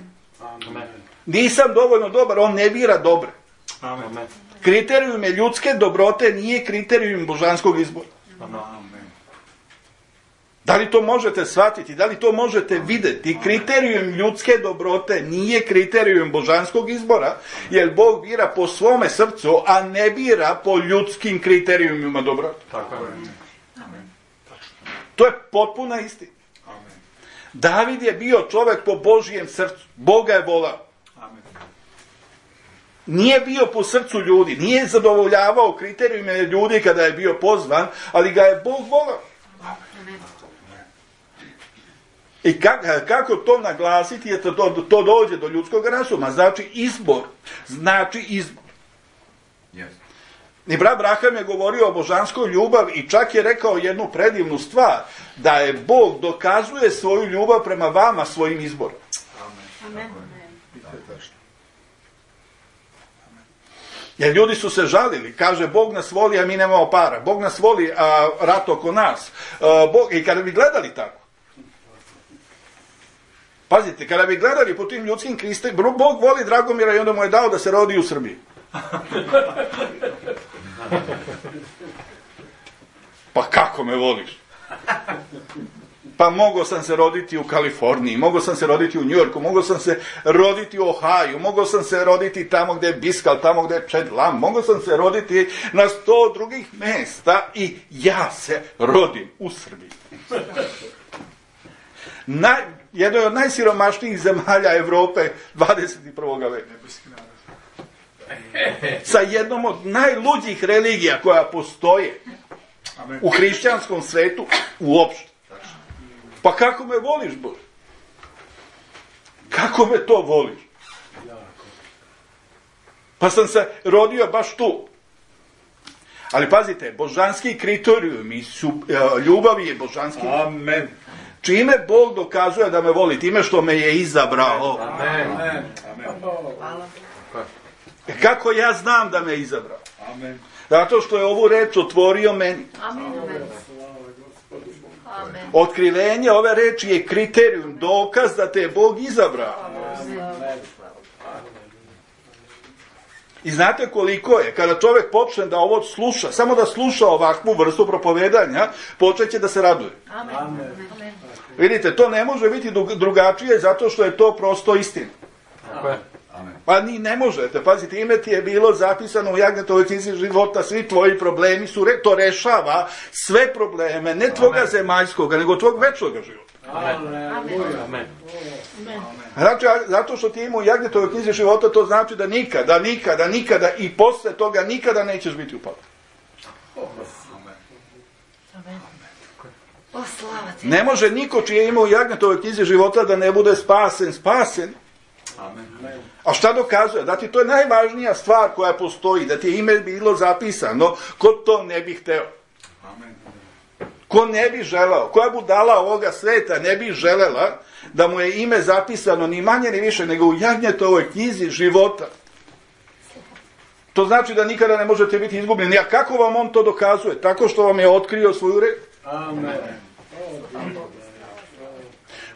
Nisam dovoljno dobar, on ne bira dobre. Amen. Kriterijum je ljudske dobrote, nije kriterijum božanskog izbora. Amen. Da li to možete shvatiti? Da li to možete vidjeti? Kriterijum ljudske dobrote nije kriterijum božanskog izbora, jer Bog bira po svome srcu, a ne bira po ljudskim kriterijumima dobrote. Tako je. To je potpuna istina. David je bio čovjek po Božijem srcu. Boga je volao. Nije bio po srcu ljudi, nije zadovoljavao kriterijume ljudi kada je bio pozvan, ali ga je Bog volao. I kako, kako to naglasiti je to, to, to dođe do ljudskog razuma. Znači izbor. Znači izbor. Yes. I brat Braham je govorio o božanskoj ljubavi i čak je rekao jednu predivnu stvar, da je Bog dokazuje svoju ljubav prema vama svojim izborom. Amen. Amen. Jer ljudi su se žalili, kaže Bog nas voli, a mi nemamo para. Bog nas voli, a rat oko nas. A, Bog, i kada bi gledali tako, pazite, kada bi gledali po tim ljudskim kristima, Bog voli Dragomira i onda mu je dao da se rodi u Srbiji. Pa kako me voliš? Pa mogao sam se roditi u Kaliforniji, mogao sam se roditi u Njujorku, mogao sam se roditi u Ohaju, mogao sam se roditi tamo gdje je Biskal, tamo gdje je Čed Lam, mogao sam se roditi na sto drugih mjesta i ja se rodim u Srbiji. Naj, jednoj od najsiromašnijih zemalja Evrope dvadeset prvog veka. sa jednom od najluđih religija koja postoje u hrišćanskom svetu uopšte. Pa kako me voliš, Bože? Kako me to voliš? Pa sam se rodio baš tu. Ali pazite, božanski kriterijumi su, ljubavi je božanski. Amen. Čime Bog dokazuje da me voli? Time što me je izabrao. Amen. Amen. Hvala. Kako ja znam da me je izabrao? Amen. Zato što je ovu reč otvorio meni. Amen. Amen. Otkrivenje ove reči je kriterijum, dokaz da te je Bog izabrao. I znate koliko je, kada čovjek počne da ovo sluša, samo da sluša ovakvu vrstu propovedanja, počeće da se raduje. Amen. Amen. Vidite, to ne može biti drugačije zato što je to prosto istina. Amen. Pa ni ne možete, pazite, ime ti je bilo zapisano u Jagnetovoj knjizi života, svi tvoji problemi su, to rešava sve probleme, ne tvoga zemaljskoga, nego tvog večnog života. Amen. Amen. Znači, zato što ti ima u Jagnetovoj knjizi života, to znači da nikada, nikada, nikada i posle toga nikada nećeš biti upao. Ne može niko čije ima u Jagnetovoj knjizi života da ne bude spasen, spasen. A šta dokazuje? Da ti to je najvažnija stvar koja postoji, da ti je ime bilo zapisano, ko to ne bi hteo. Ko ne bi želao, koja budala ovoga sveta ne bi želela da mu je ime zapisano ni manje ni više nego u Jagnetovoj knjizi života. To znači da nikada ne možete biti izgubljeni. A kako vam on to dokazuje? Tako što vam je otkrio svoju reč. Amen.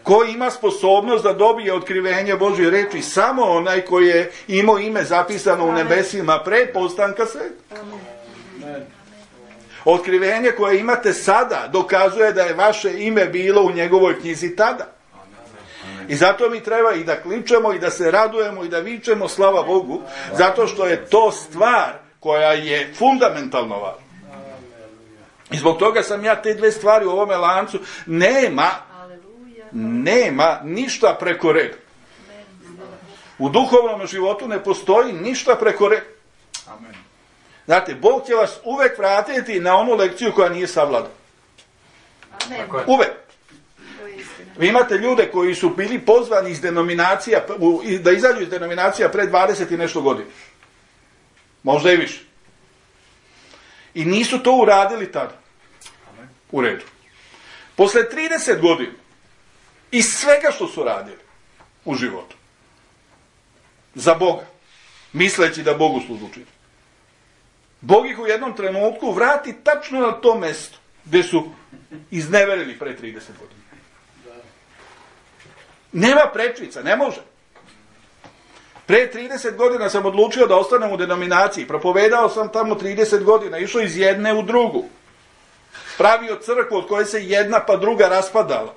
Ko ima sposobnost da dobije otkrivenje Božje reči? Samo onaj koji je imao ime zapisano u nebesima pre postanka sveta. Otkrivenje koje imate sada dokazuje da je vaše ime bilo u njegovoj knjizi tada. I zato mi treba i da kličemo i da se radujemo i da vičemo slava Bogu, zato što je to stvar koja je fundamentalno važna. I zbog toga sam ja te dve stvari u ovome lancu, nema, nema ništa preko reda. U duhovnom životu ne postoji ništa preko reda. Znate, Bog će vas uvek vratiti na onu lekciju koja nije savladala. Uvek. Vi imate ljude koji su bili pozvani iz denominacija, da izađu iz denominacija pre dvadeset i nešto godina. Možda i više. I nisu to uradili tada. U redu. Posle trideset godina iz svega što su radili u životu za Boga, misleći da Bogu služu čini, Bog ih u jednom trenutku vrati tačno na to mesto gde su izneverili pre trideset godina. Nema prečica, ne može. Pre trideset godina sam odlučio da ostanem u denominaciji. Propovedao sam tamo trideset godina, išao iz jedne u drugu. Pravio crkvu od koje se jedna pa druga raspadala.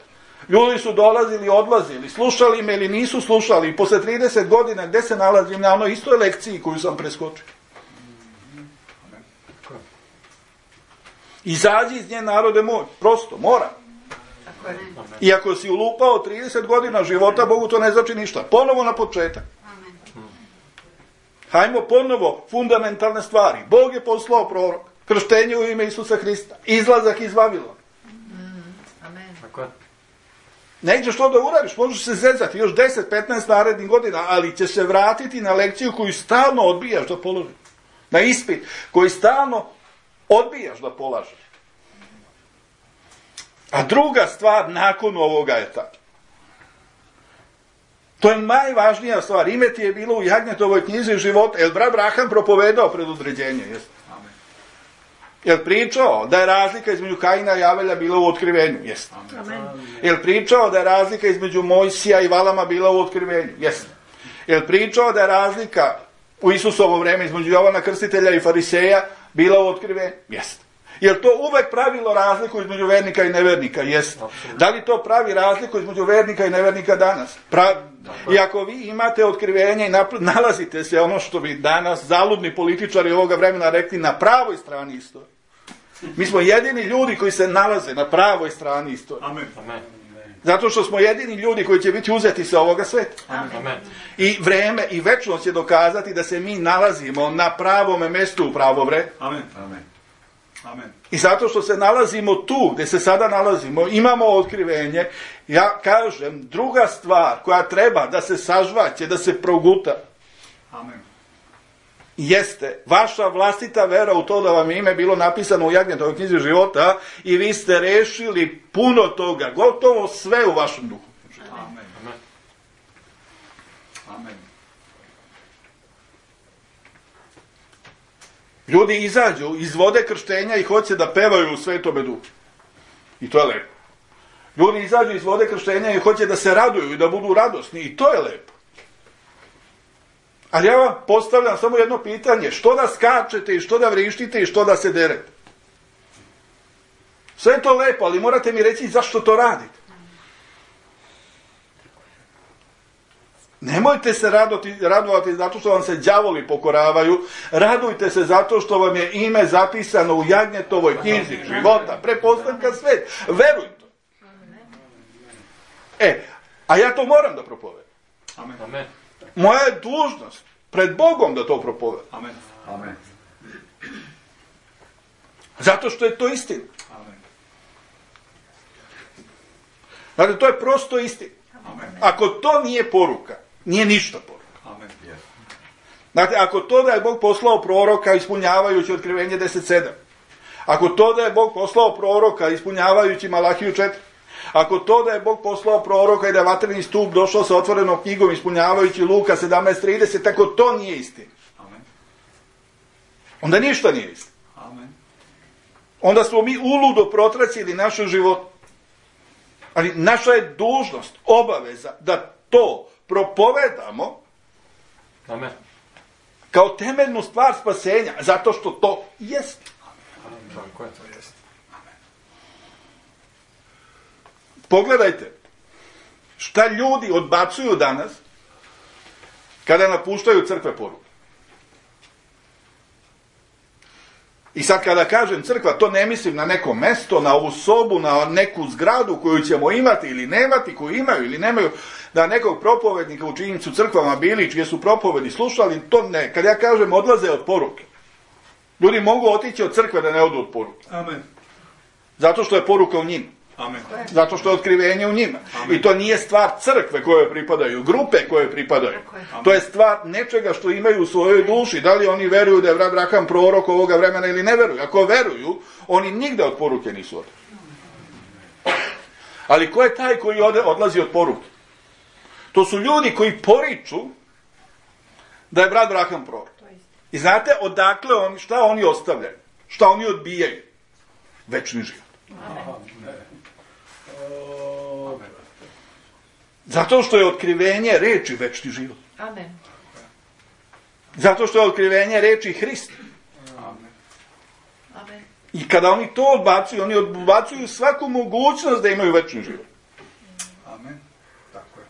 Ljudi su dolazili, odlazili, slušali me ili nisu slušali. I posle trideset godina gde se nalazim? Na onoj istoj lekciji koju sam preskočio. Izađi iz nje, narode moj. Prosto, mora. I ako si ulupao trideset godina života, Bogu to ne znači ništa. Ponovo na početak. Hajmo ponovo fundamentalne stvari. Bog je poslao prorok. Krštenje u ime Isusa Hrista. Izlazak iz Vavilona. Nećeš to da uradiš, možeš se zezati još deset petnaest narednih godina, ali će se vratiti na lekciju koju stalno odbijaš da položiš. Na ispit koji stalno odbijaš da polažeš. A druga stvar nakon ovoga je tako. To je najvažnija stvar. Ime ti je bilo u Jagnetovoj knjizi života. Jel brat Braham propovedao pred određenje? Jeste? Jel pričao da je razlika između Kaina i Avelja bila u otkrivenju? Jeste. Jel pričao da je razlika između Mojsija i Valama bila u otkrivenju? Jeste. Jel pričao da je razlika u Isusovo vreme između Jovana Krstitelja i Fariseja bila u otkrivenju? Jeste. Jel to uvek pravilo razliku između vernika i nevernika? Jeste. Da li to pravi razliku između vernika i nevernika danas? Pravi. I ako vi imate otkrivenje i nalazite se ono što bi danas zaludni političari ovoga vremena rekli na pravoj strani istorije. Mi smo jedini ljudi koji se nalaze na pravoj strani istorije. Amen. Zato što smo jedini ljudi koji će biti uzeti sa ovoga sveta. Amen. I vreme i večnost će dokazati da se mi nalazimo na pravome mjestu u pravo vreme. Amen. Amen. Amen. I zato što se nalazimo tu gdje se sada nalazimo, imamo otkrivenje. Ja kažem, druga stvar koja treba da se sažvaće, da se proguta, Amen. jeste vaša vlastita vera u to da vam je ime bilo napisano u Jagnjetovoj knjizi života i vi ste rešili puno toga, gotovo sve u vašem duhu. Amen. Amen. Ljudi izađu iz vode krštenja i hoće da pevaju u Svetome duhu. I to je lepo. Ljudi izađu iz vode krštenja i hoće da se raduju i da budu radosni. I to je lepo. Ali ja vam postavljam samo jedno pitanje. Što da skačete i što da vrištite i što da se derete? Sve je to lepo, ali morate mi reći zašto to radite. Nemojte se radoti, radovati zato što vam se đavoli pokoravaju. Radujte se zato što vam je ime zapisano u Jagnjetovoj knjizi života. Prepostavka svet. Verujte. E, a ja to moram da propovedam. Amen. Amen. Moja je dužnost pred Bogom da to propovedam. Amen. Amen. Zato što je to istina. Amen. Dakle, to je prosto istina. Amen. Ako to nije poruka, nije ništa poruka. Amen. Dakle, ako to da je Bog poslao proroka ispunjavajući Otkrivenje deset sedam, ako to da je Bog poslao proroka ispunjavajući Malahiju četiri, ako to da je Bog poslao proroka i da je vatreni stup došao sa otvorenom knjigom ispunjavajući Luka sedamnaest trideset, ako to nije istina, Amen. onda ništa nije istina. Amen. Onda smo mi uludo protracili naše život. Ali naša je dužnost, obaveza da to propovedamo Amen. kao temeljnu stvar spasenja, zato što to jest. Tako je. Pogledajte šta ljudi odbacuju danas kada napuštaju crkve poruke. I sad kada kažem crkva, to ne mislim na neko mesto, na ovu sobu, na neku zgradu koju ćemo imati ili nemati, koju imaju ili nemaju, da nekog propovednika u čijim su crkvama bili, čije su propovedi slušali, to ne. Kad ja kažem odlaze od poruke, ljudi mogu otići od crkve da ne odu od poruke. Amen. Zato što je poruka u njima. Amen. Zato što je otkrivenje u njima. Amen. I to nije stvar crkve koje pripadaju, grupe koje pripadaju. je. To je stvar nečega što imaju u svojoj duši. Da li oni veruju da je Abraham prorok ovoga vremena ili ne veruju. Ako veruju, oni nigde od poruke nisu otišli. Ali ko je taj koji ode, odlazi od poruke? To su ljudi koji poriču da je brat Abraham prorok. I znate odakle oni, šta oni ostavljaju? Šta oni odbijaju? Večni život. Zato što je otkrivenje reči večni život. Amen. Zato što je otkrivenje reči Hrista. Amen. Amen. I kada oni to odbacuju, oni odbacuju svaku mogućnost da imaju večni život. Amen. Tako je.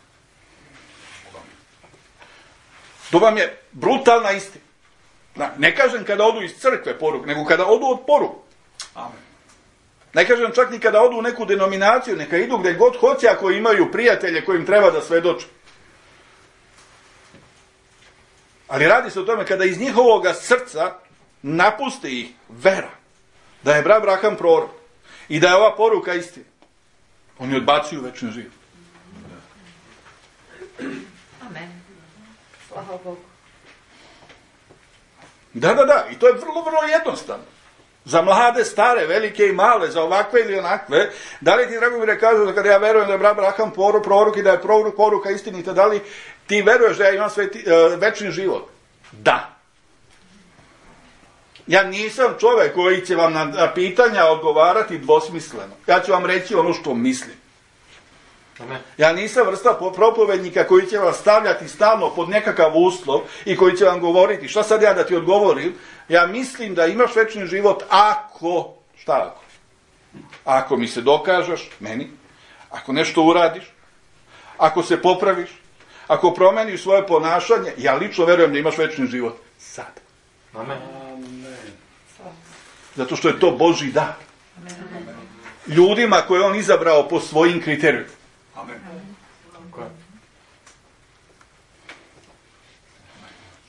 To vam je brutalna istina. Ne kažem kada odu iz crkve poruke, nego kada odu od poruke. Amen. Ne kažem čak ni kada odu u neku denominaciju, neka idu gdje god hoće ako imaju prijatelje kojim treba da svedoče. Ali radi se o tome kada iz njihovoga srca napusti ih vera da je brat Abraham prorok i da je ova poruka istina. Oni odbacuju večni život. Amen. Slava Bogu. Da, da, da. I to je vrlo, vrlo jednostavno. Za mlade, stare, velike i male, za ovakve ili onakve. Da li ti, drago mi, ne kažu da kada ja verujem da je brat Abraham prorok i da je prorok poruka istinita, da li ti veruješ da ja imam sveti, uh, večni život? Da. Ja nisam čovjek koji će vam na pitanja odgovarati dvosmisleno. Ja ću vam reći ono što mislim. Amen. Ja nisam vrsta propovednika koji će vam stavljati stalno pod nekakav uslov i koji će vam govoriti šta sad ja da ti odgovorim. Ja mislim da imaš večni život ako, šta ako? Ako mi se dokažeš, meni, ako nešto uradiš, ako se popraviš, ako promeniš svoje ponašanje, ja lično verujem da imaš večni život sad. Amen. Zato što je to Božji dar. Ljudima koje on izabrao po svojim kriterijima.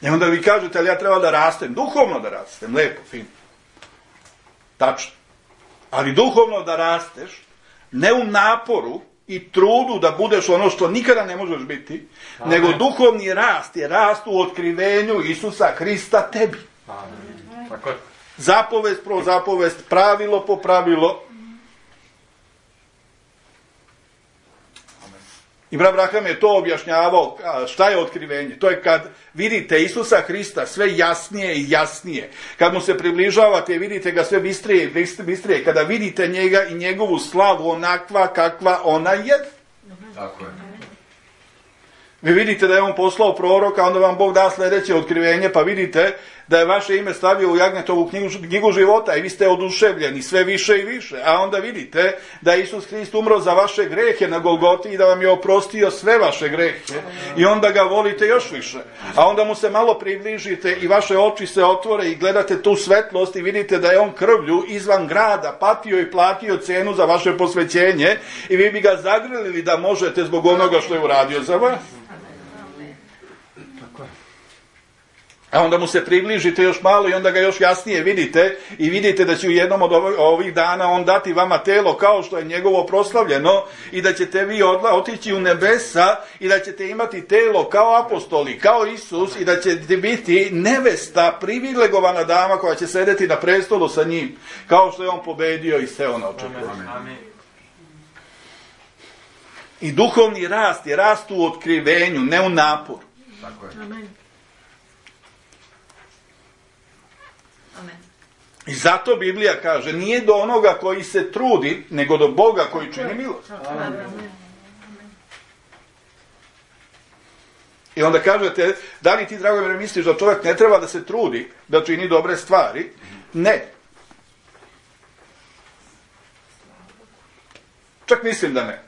I onda vi kažete, ali ja treba da rastem, duhovno da rastem, lepo, fino. Tačno. Ali duhovno da rasteš, ne u naporu i trudu da budeš ono što nikada ne možeš biti, amen, nego duhovni rast je rast u otkrivenju Isusa Hrista tebi. Amen. Tako je. Zapovest pro zapovest, pravilo po pravilo. I brat Braham je to objašnjavao, šta je otkrivenje. To je kad vidite Isusa Hrista sve jasnije i jasnije. Kad mu se približavate, vidite ga sve bistrije i bistrije. Kada vidite njega i njegovu slavu onakva kakva ona je. Tako je. Vi vidite da je on poslao proroka, onda vam Bog da sljedeće otkrivenje, pa vidite da je vaše ime stavio u Jagnjetovu knjigu, knjigu života i vi ste oduševljeni sve više i više. A onda vidite da je Isus Hrist umro za vaše grehe na Golgoti i da vam je oprostio sve vaše grehe. I onda ga volite još više. A onda mu se malo približite i vaše oči se otvore i gledate tu svetlost i vidite da je on krvlju izvan grada patio i platio cenu za vaše posvećenje i vi bi ga zagrlili da možete zbog onoga što je uradio za vas. A onda mu se približite još malo i onda ga još jasnije vidite i vidite da će u jednom od ovih dana on dati vama telo kao što je njegovo proslavljeno i da ćete vi odla, otići u nebesa i da ćete imati telo kao apostoli, kao Isus i da ćete biti nevesta, privilegovana dama koja će sedeti na prestolu sa njim, kao što je on pobedio i seo na očekivanje. Amen. I duhovni rast je rast u otkrivenju, ne u naporu. Tako je. Amen. Amen. I zato Biblija kaže, nije do onoga koji se trudi, nego do Boga koji čini milost. Amen. I onda kažete, da li ti, Dragomire, misliš da čovjek ne treba da se trudi, da čini dobre stvari? Ne. Čak mislim da ne.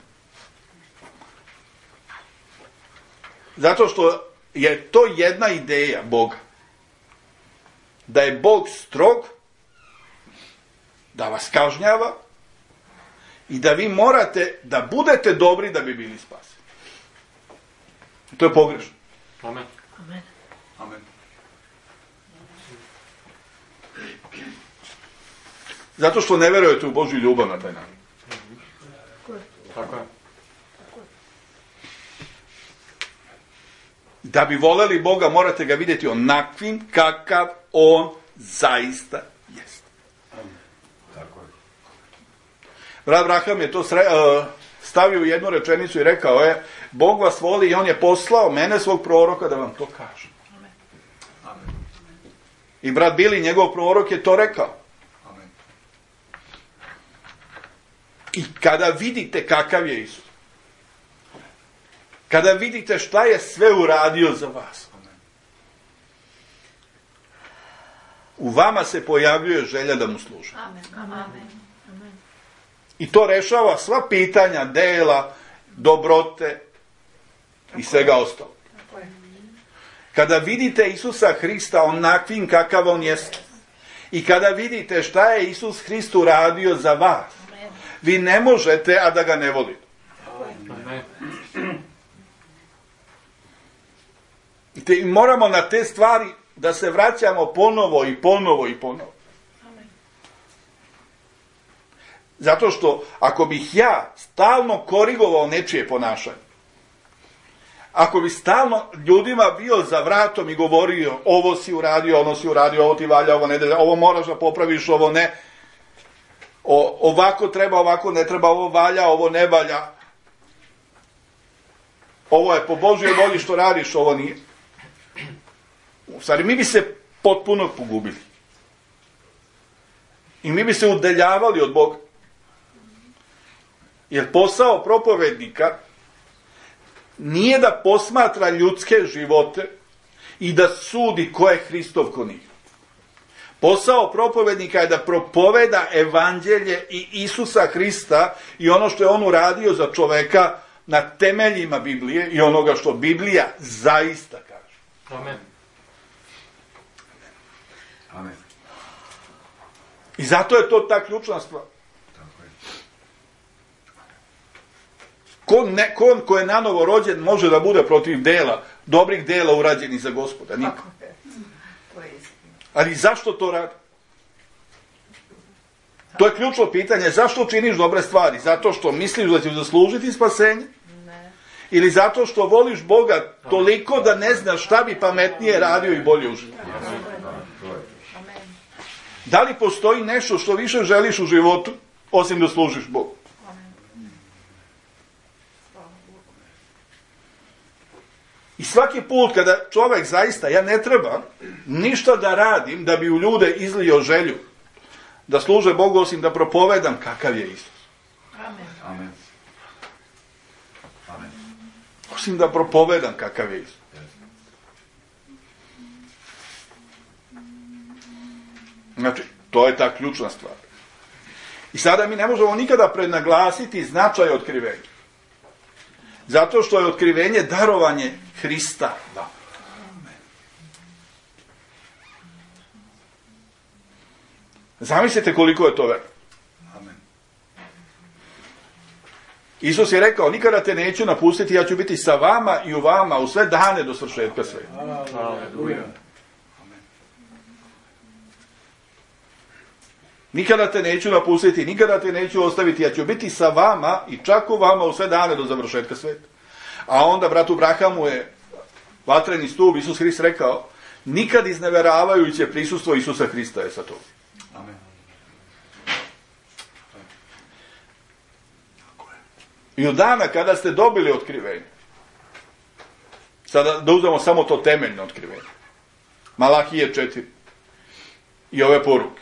Zato što je to jedna ideja Boga. Da je Bog strog, da vas kažnjava i da vi morate da budete dobri da bi bili spaseni. To je pogrešno. Amen. Amen. Amen. Zato što ne verujete u Božju ljubav na taj način. Tako je. Da bi voleli Boga, morate ga vidjeti onakvim kakav on zaista jest. Tako je. Brat Braham je to sre, uh, stavio u jednu rečenicu i rekao je, Bog vas voli i on je poslao mene, svog proroka, da vam to kaže. Amen. I brat Bili, njegov prorok, je to rekao. Amen. I kada vidite kakav je Isus, kada vidite šta je sve uradio za vas, u vama se pojavljuje želja da mu služite. Amen. Amen. I to rešava sva pitanja, dela, dobrote i svega ostalo. Kada vidite Isusa Hrista onakvim kakav on jest i kada vidite šta je Isus Hrist uradio za vas, vi ne možete, a da ga ne volite. Amen. I moramo na te stvari da se vraćamo ponovo i ponovo i ponovo. Zato što ako bih ja stalno korigovao nečije ponašanje, ako bi stalno ljudima bio za vratom i govorio ovo si uradio, ono si uradio, ovo ti valja, ovo ne valja, ovo moraš da popraviš, ovo ne, o, ovako treba, ovako ne treba, ovo valja, ovo ne valja, ovo je po Božjoj volji što radiš, ovo nije. U stvari, mi bi se potpuno pogubili. I mi bi se udaljavali od Boga. Jer posao propovednika nije da posmatra ljudske živote i da sudi ko je Hristov, ko nije. Posao propovednika je da propoveda evanđelje i Isusa Hrista i ono što je on uradio za čoveka na temeljima Biblije i onoga što Biblija zaista kaže. Amen. Amen. I zato je to ta ključna stvar. Tako je. Ko, ne, ko, ko je nanovo rođen može da bude protiv dela, dobrih dela urađenih za Gospoda? Niko. Ali zašto to radi? To je ključno pitanje. Zašto činiš dobre stvari? Zato što misliš da ćeš zaslužiti spasenje? Ne. Ili zato što voliš Boga toliko da ne znaš šta bi pametnije radio i bolje u životu? Amen. Da li postoji nešto što više želiš u životu, osim da služiš Bogu? I svaki put kada čovjek zaista, ja ne treba ništa da radim da bi u ljude izlio želju da služe Bogu, osim da propovedam kakav je Isus. Amen. Amen. Amen. Osim da propovedam kakav je Isus. Znači, to je ta ključna stvar. I sada mi ne možemo nikada prednaglasiti značaj otkrivenja. Zato što je otkrivenje darovanje Hrista. Da. Zamislite koliko je to veliko. Amen. Isus je rekao, nikada te neću napustiti, ja ću biti sa vama i u vama u sve dane do svršetka sveta. Aleluja. Nikada te neću napustiti, nikada te neću ostaviti, ja ću biti sa vama i čak u vama u sve dane do završetka sveta. A onda bratu Brahamu je vatreni stup, Isus Hrist rekao, nikad izneveravajuće prisustvo Isusa Hrista je sa tobom. Amen. I od dana kada ste dobili otkrivenje, sada da uzmemo samo to temeljno otkrivenje, Malahije četiri i ove poruke,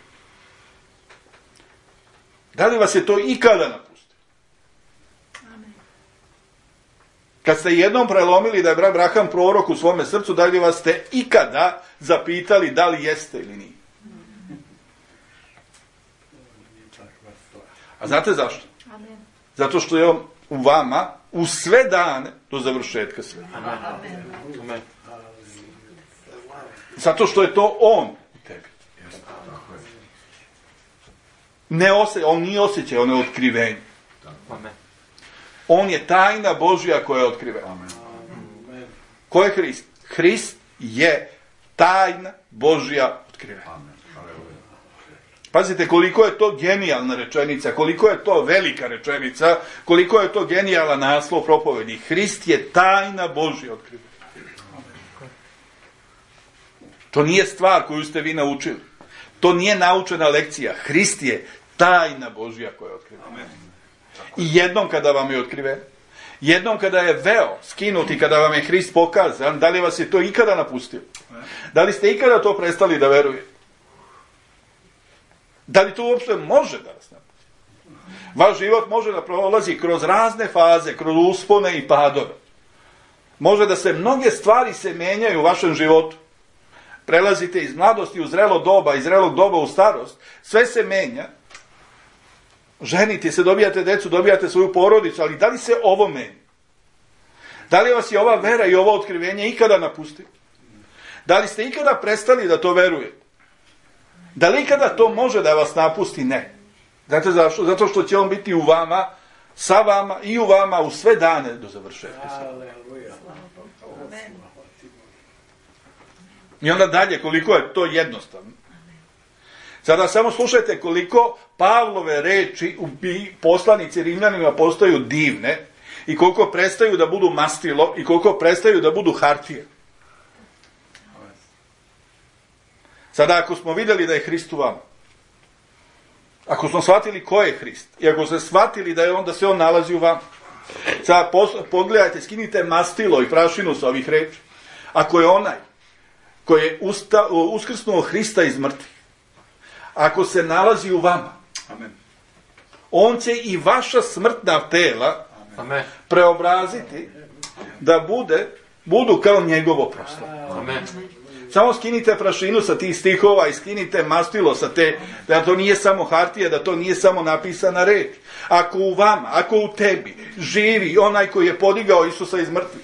da li vas je to ikada napustilo? Amen. Kad ste jednom prelomili da je brat Braham prorok u svome srcu, da li vas ste ikada zapitali da li jeste ili nije? A znate zašto? Amen. Zato što je on u vama u sve dane do završetka sveta. Amen. Amen. Zato što je to on u tebi. Ne osje, on nije osjećaj, on je otkrivenje. Amen. On je tajna Božja koja je otkrivena. Amen. Ko je Hrist? Hrist je tajna Božja otkrivena. Amen. Aleluja. Pazite koliko je to genijalna rečenica, koliko je to velika rečenica, koliko je to genijalan naslov propovedi. Hrist je tajna Božja otkrivena. To nije stvar koju ste vi naučili. To nije naučena lekcija. Hrist je tajna Božja koja je otkrivena. Amen. I jednom kada vam je otkriven, jednom kada je veo skinut i kada vam je Hrist pokazan, da li vas je to ikada napustio? Da li ste ikada to prestali da verujete? Da li to uopšte može da vas napusti? Vaš život može da prolazi kroz razne faze, kroz uspone i padove. Može da se mnoge stvari se menjaju u vašem životu. Prelazite iz mladosti u zrelo doba, iz zrelog doba u starost. Sve se menja. Ženite se, dobijate decu, dobijate svoju porodicu, ali da li se ovo menja? Da li vas je ova vera i ovo otkrivenje ikada napustilo? Da li ste ikada prestali da to verujete? Da li ikada to može da vas napusti? Ne. Znate zašto? Zato što će on biti u vama, sa vama i u vama u sve dane do završetka. Amen. I onda dalje, koliko je to jednostavno. Sada samo slušajte koliko Pavlove reči u poslanici Rimljanima postaju divne i koliko prestaju da budu mastilo i koliko prestaju da budu hartije. Sada ako smo vidjeli da je Hrist u vama, ako smo shvatili ko je Hrist i ako ste shvatili da je on, da se on nalazi u vama, sada pogledajte, skinite mastilo i prašinu sa ovih reči. Ako je onaj koji je usta, uskrsnuo Hrista iz mrtvih, ako se nalazi u vama, Amen. on će i vaša smrtna tela Amen. preobraziti da bude, budu kao njegovo proslavo. Amen. Samo skinite prašinu sa tih stihova i skinite mastilo sa te, da to nije samo hartija, da to nije samo napisana reč. Ako u vama, ako u tebi živi onaj koji je podigao Isusa iz mrtvih,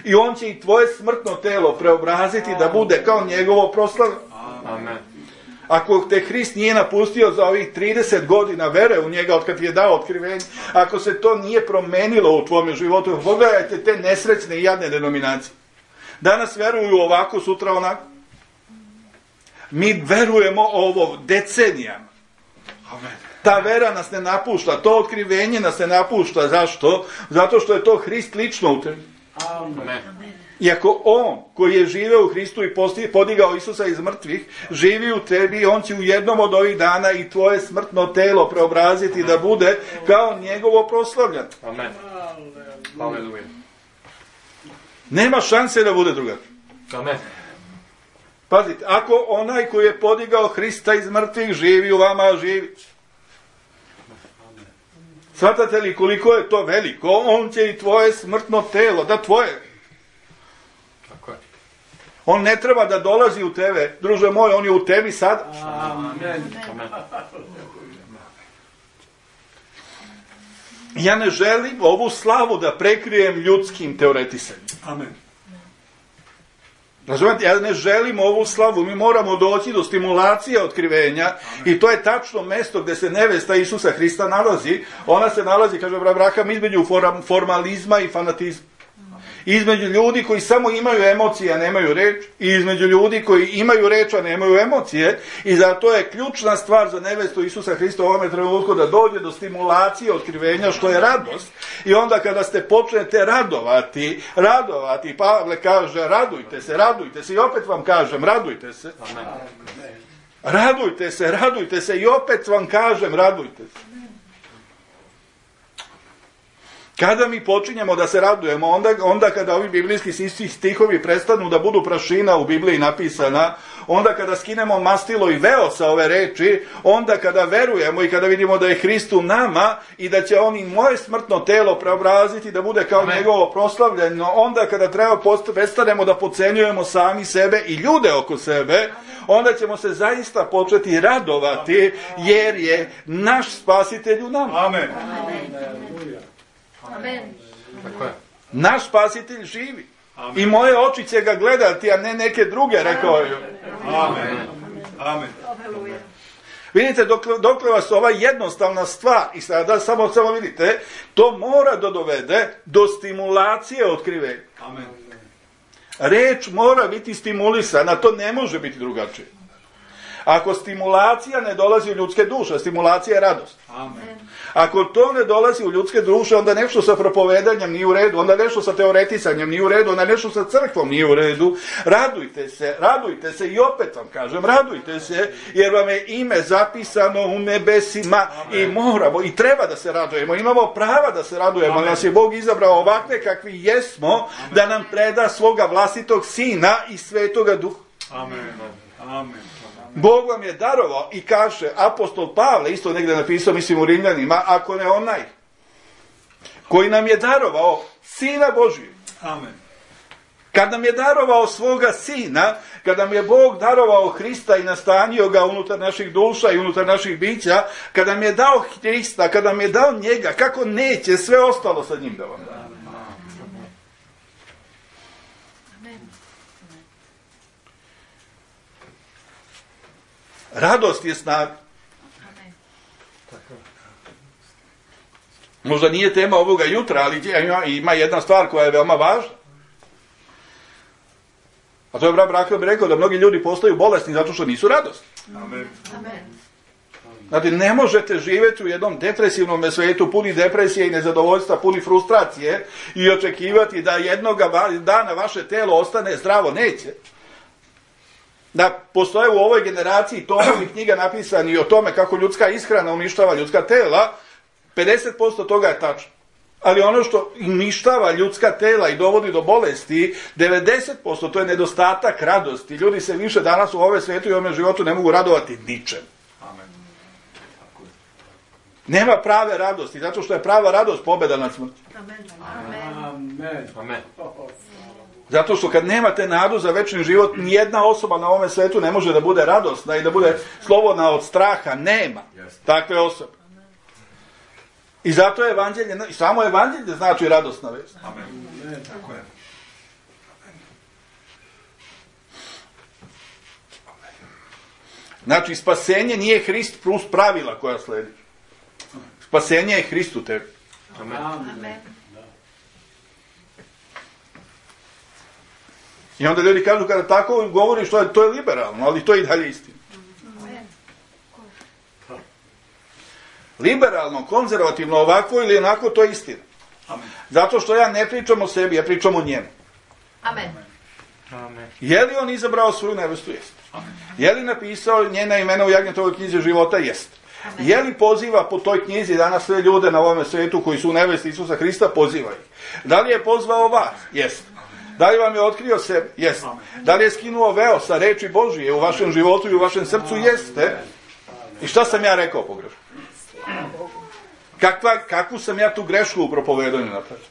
i on će i tvoje smrtno telo preobraziti da bude kao njegovo proslavo. Amen. Ako te Hrist nije napustio za ovih trideset godina vere u njega, od kad ti je dao otkrivenje, ako se to nije promenilo u tvome životu, pogledajte te nesrećne i jadne denominacije. Danas veruju ovako, sutra onako. Mi verujemo ovo decenijama. Amen. Ta vera nas ne napušta, to otkrivenje nas ne napušta. Zašto? Zato što je to Hrist lično u tebi. Amen. Iako on koji je živeo u Hristu i podigao Isusa iz mrtvih, živi u tebi, on će u jednom od ovih dana i tvoje smrtno telo preobraziti da bude kao njegovo proslavljeno. Amen. Haleluja. Nema šanse da bude drugačije. Amen. Pazite, ako onaj koji je podigao Hrista iz mrtvih živi u vama, živi. Shvatate li koliko je to veliko? On će i tvoje smrtno telo, da tvoje. Tako je. On ne treba da dolazi u tebe. Druže moj, on je u tebi sad. Amen. Amen. Ja ne želim ovu slavu da prekrijem ljudskim teoretisanjem. Amen. Razumete, ja ne želim ovu slavu, mi moramo doći do stimulacije otkrivenja. Amen. I to je tačno mesto gdje se nevesta Isusa Hrista nalazi. Ona se nalazi, kaže Abraham, između formalizma i fanatizma. Između ljudi koji samo imaju emocije, a nemaju reč, i između ljudi koji imaju reč, a nemaju emocije, i zato je ključna stvar za nevestu Isusa Hrista u ovome trenutku da dođe do stimulacije otkrivenja, što je radost. I onda kada ste počnete radovati, radovati, Pavle kaže, radujte se, radujte se, i opet vam kažem, radujte se. Radujte se, radujte se, i opet vam kažem, radujte se. Kada mi počinjemo da se radujemo, onda, onda kada ovi biblijski stihovi prestanu da budu prašina u Bibliji napisana, onda kada skinemo mastilo i veo sa ove reči, onda kada verujemo i kada vidimo da je Hrist u nama i da će on i moje smrtno telo preobraziti da bude kao Amen. Njegovo proslavljeno, onda kada treba prestanemo da podcenjujemo sami sebe i ljude oko sebe, onda ćemo se zaista početi radovati jer je naš spasitelj u nama. Amen. Amen. Tako je. Naš spasitelj živi. Amen. I moje oči će ga gledati, a ne neke druge, rekao je. Amen. Amen. Vidite, dokle, dokle vas ova jednostavna stvar, i sada samo, samo vidite, to mora da dovede do stimulacije otkrivenja. Amen. Reč mora biti stimulisana, to ne može biti drugačije. Ako stimulacija ne dolazi u ljudske duše, stimulacija je radost. Amen. Ako to ne dolazi u ljudske duše, onda nešto sa propovedanjem nije u redu, onda nešto sa teoretisanjem nije u redu, onda nešto sa crkvom nije u redu. Radujte se, radujte se, i opet vam kažem, radujte se, jer vam je ime zapisano u nebesima. Amen. I moramo, i treba da se radujemo, imamo prava da se radujemo. Amen. Nas je Bog izabrao ovakve kakvi jesmo. Amen. Da nam preda svoga vlastitog Sina i Svetoga Duha. Amen. Amen. Bog vam je darovao, i kaže apostol Pavle, isto negdje napisao, mislim u Rimljanima, ako ne onaj koji nam je darovao Sina Božijeg. Amen. Kad nam je darovao svoga Sina, kad nam je Bog darovao Hrista i nastanio ga unutar naših duša i unutar naših bića, kad nam je dao Hrista, kad nam je dao njega, kako neće sve ostalo sa njim da vam da? Radost je snaga. Možda nije tema ovoga jutra, ali ima jedna stvar koja je veoma važna. A to je brat Brako bi rekao da mnogi ljudi postaju bolesni zato što nisu radosni. Amen. Znate, ne možete živjeti u jednom depresivnom svijetu, puni depresije i nezadovoljstva, puni frustracije i očekivati da jednog dana vaše telo ostane zdravo. Neće. Da postoje u ovoj generaciji tomovi knjiga napisani o tome kako ljudska ishrana uništava ljudska tela, pedeset posto toga je tačno. Ali ono što uništava ljudska tela i dovodi do bolesti, devedeset posto to je nedostatak radosti. Ljudi se više danas u ovome svijetu i ovome životu ne mogu radovati ničem. Amen. Nema prave radosti, zato što je prava radost pobjeda nad smrti. Amen. Amen. Amen. Zato što kad nemate nadu za večni život, nijedna osoba na ovome svijetu ne može da bude radosna i da bude slobodna od straha. Nema takve osobe. I zato je evanđelje, samo evanđelje znači radosna vest. Amen. Tako je. Znači, spasenje nije Hrist plus pravila koja sledi. Spasenje je Hrist u tebi. Amen. Amen. I onda ljudi kažu kada tako govoriš, to je, to je liberalno, ali to je i dalje istina. Liberalno, konzervativno, ovako ili onako, to je istina. Amen. Zato što ja ne pričam o sebi, ja pričam o njemu. Amen. Amen. Je li on izabrao svoju nevestu? Jest. Je li napisao njena imena u Jagnjetovoj knjizi života? Jest. Je li poziva po toj knjizi danas sve ljude na ovom svijetu koji su u nevesti Isusa Hrista? Poziva ih. Da li je pozvao vas? Jest. Da li vam je otkrio sebe? Jest. Da li je skinuo veo sa reči Božije u vašem životu i u vašem srcu? Jeste. I šta sam ja rekao pogrešno? Kakva, kakvu sam ja tu grešku u propovedanju napravio?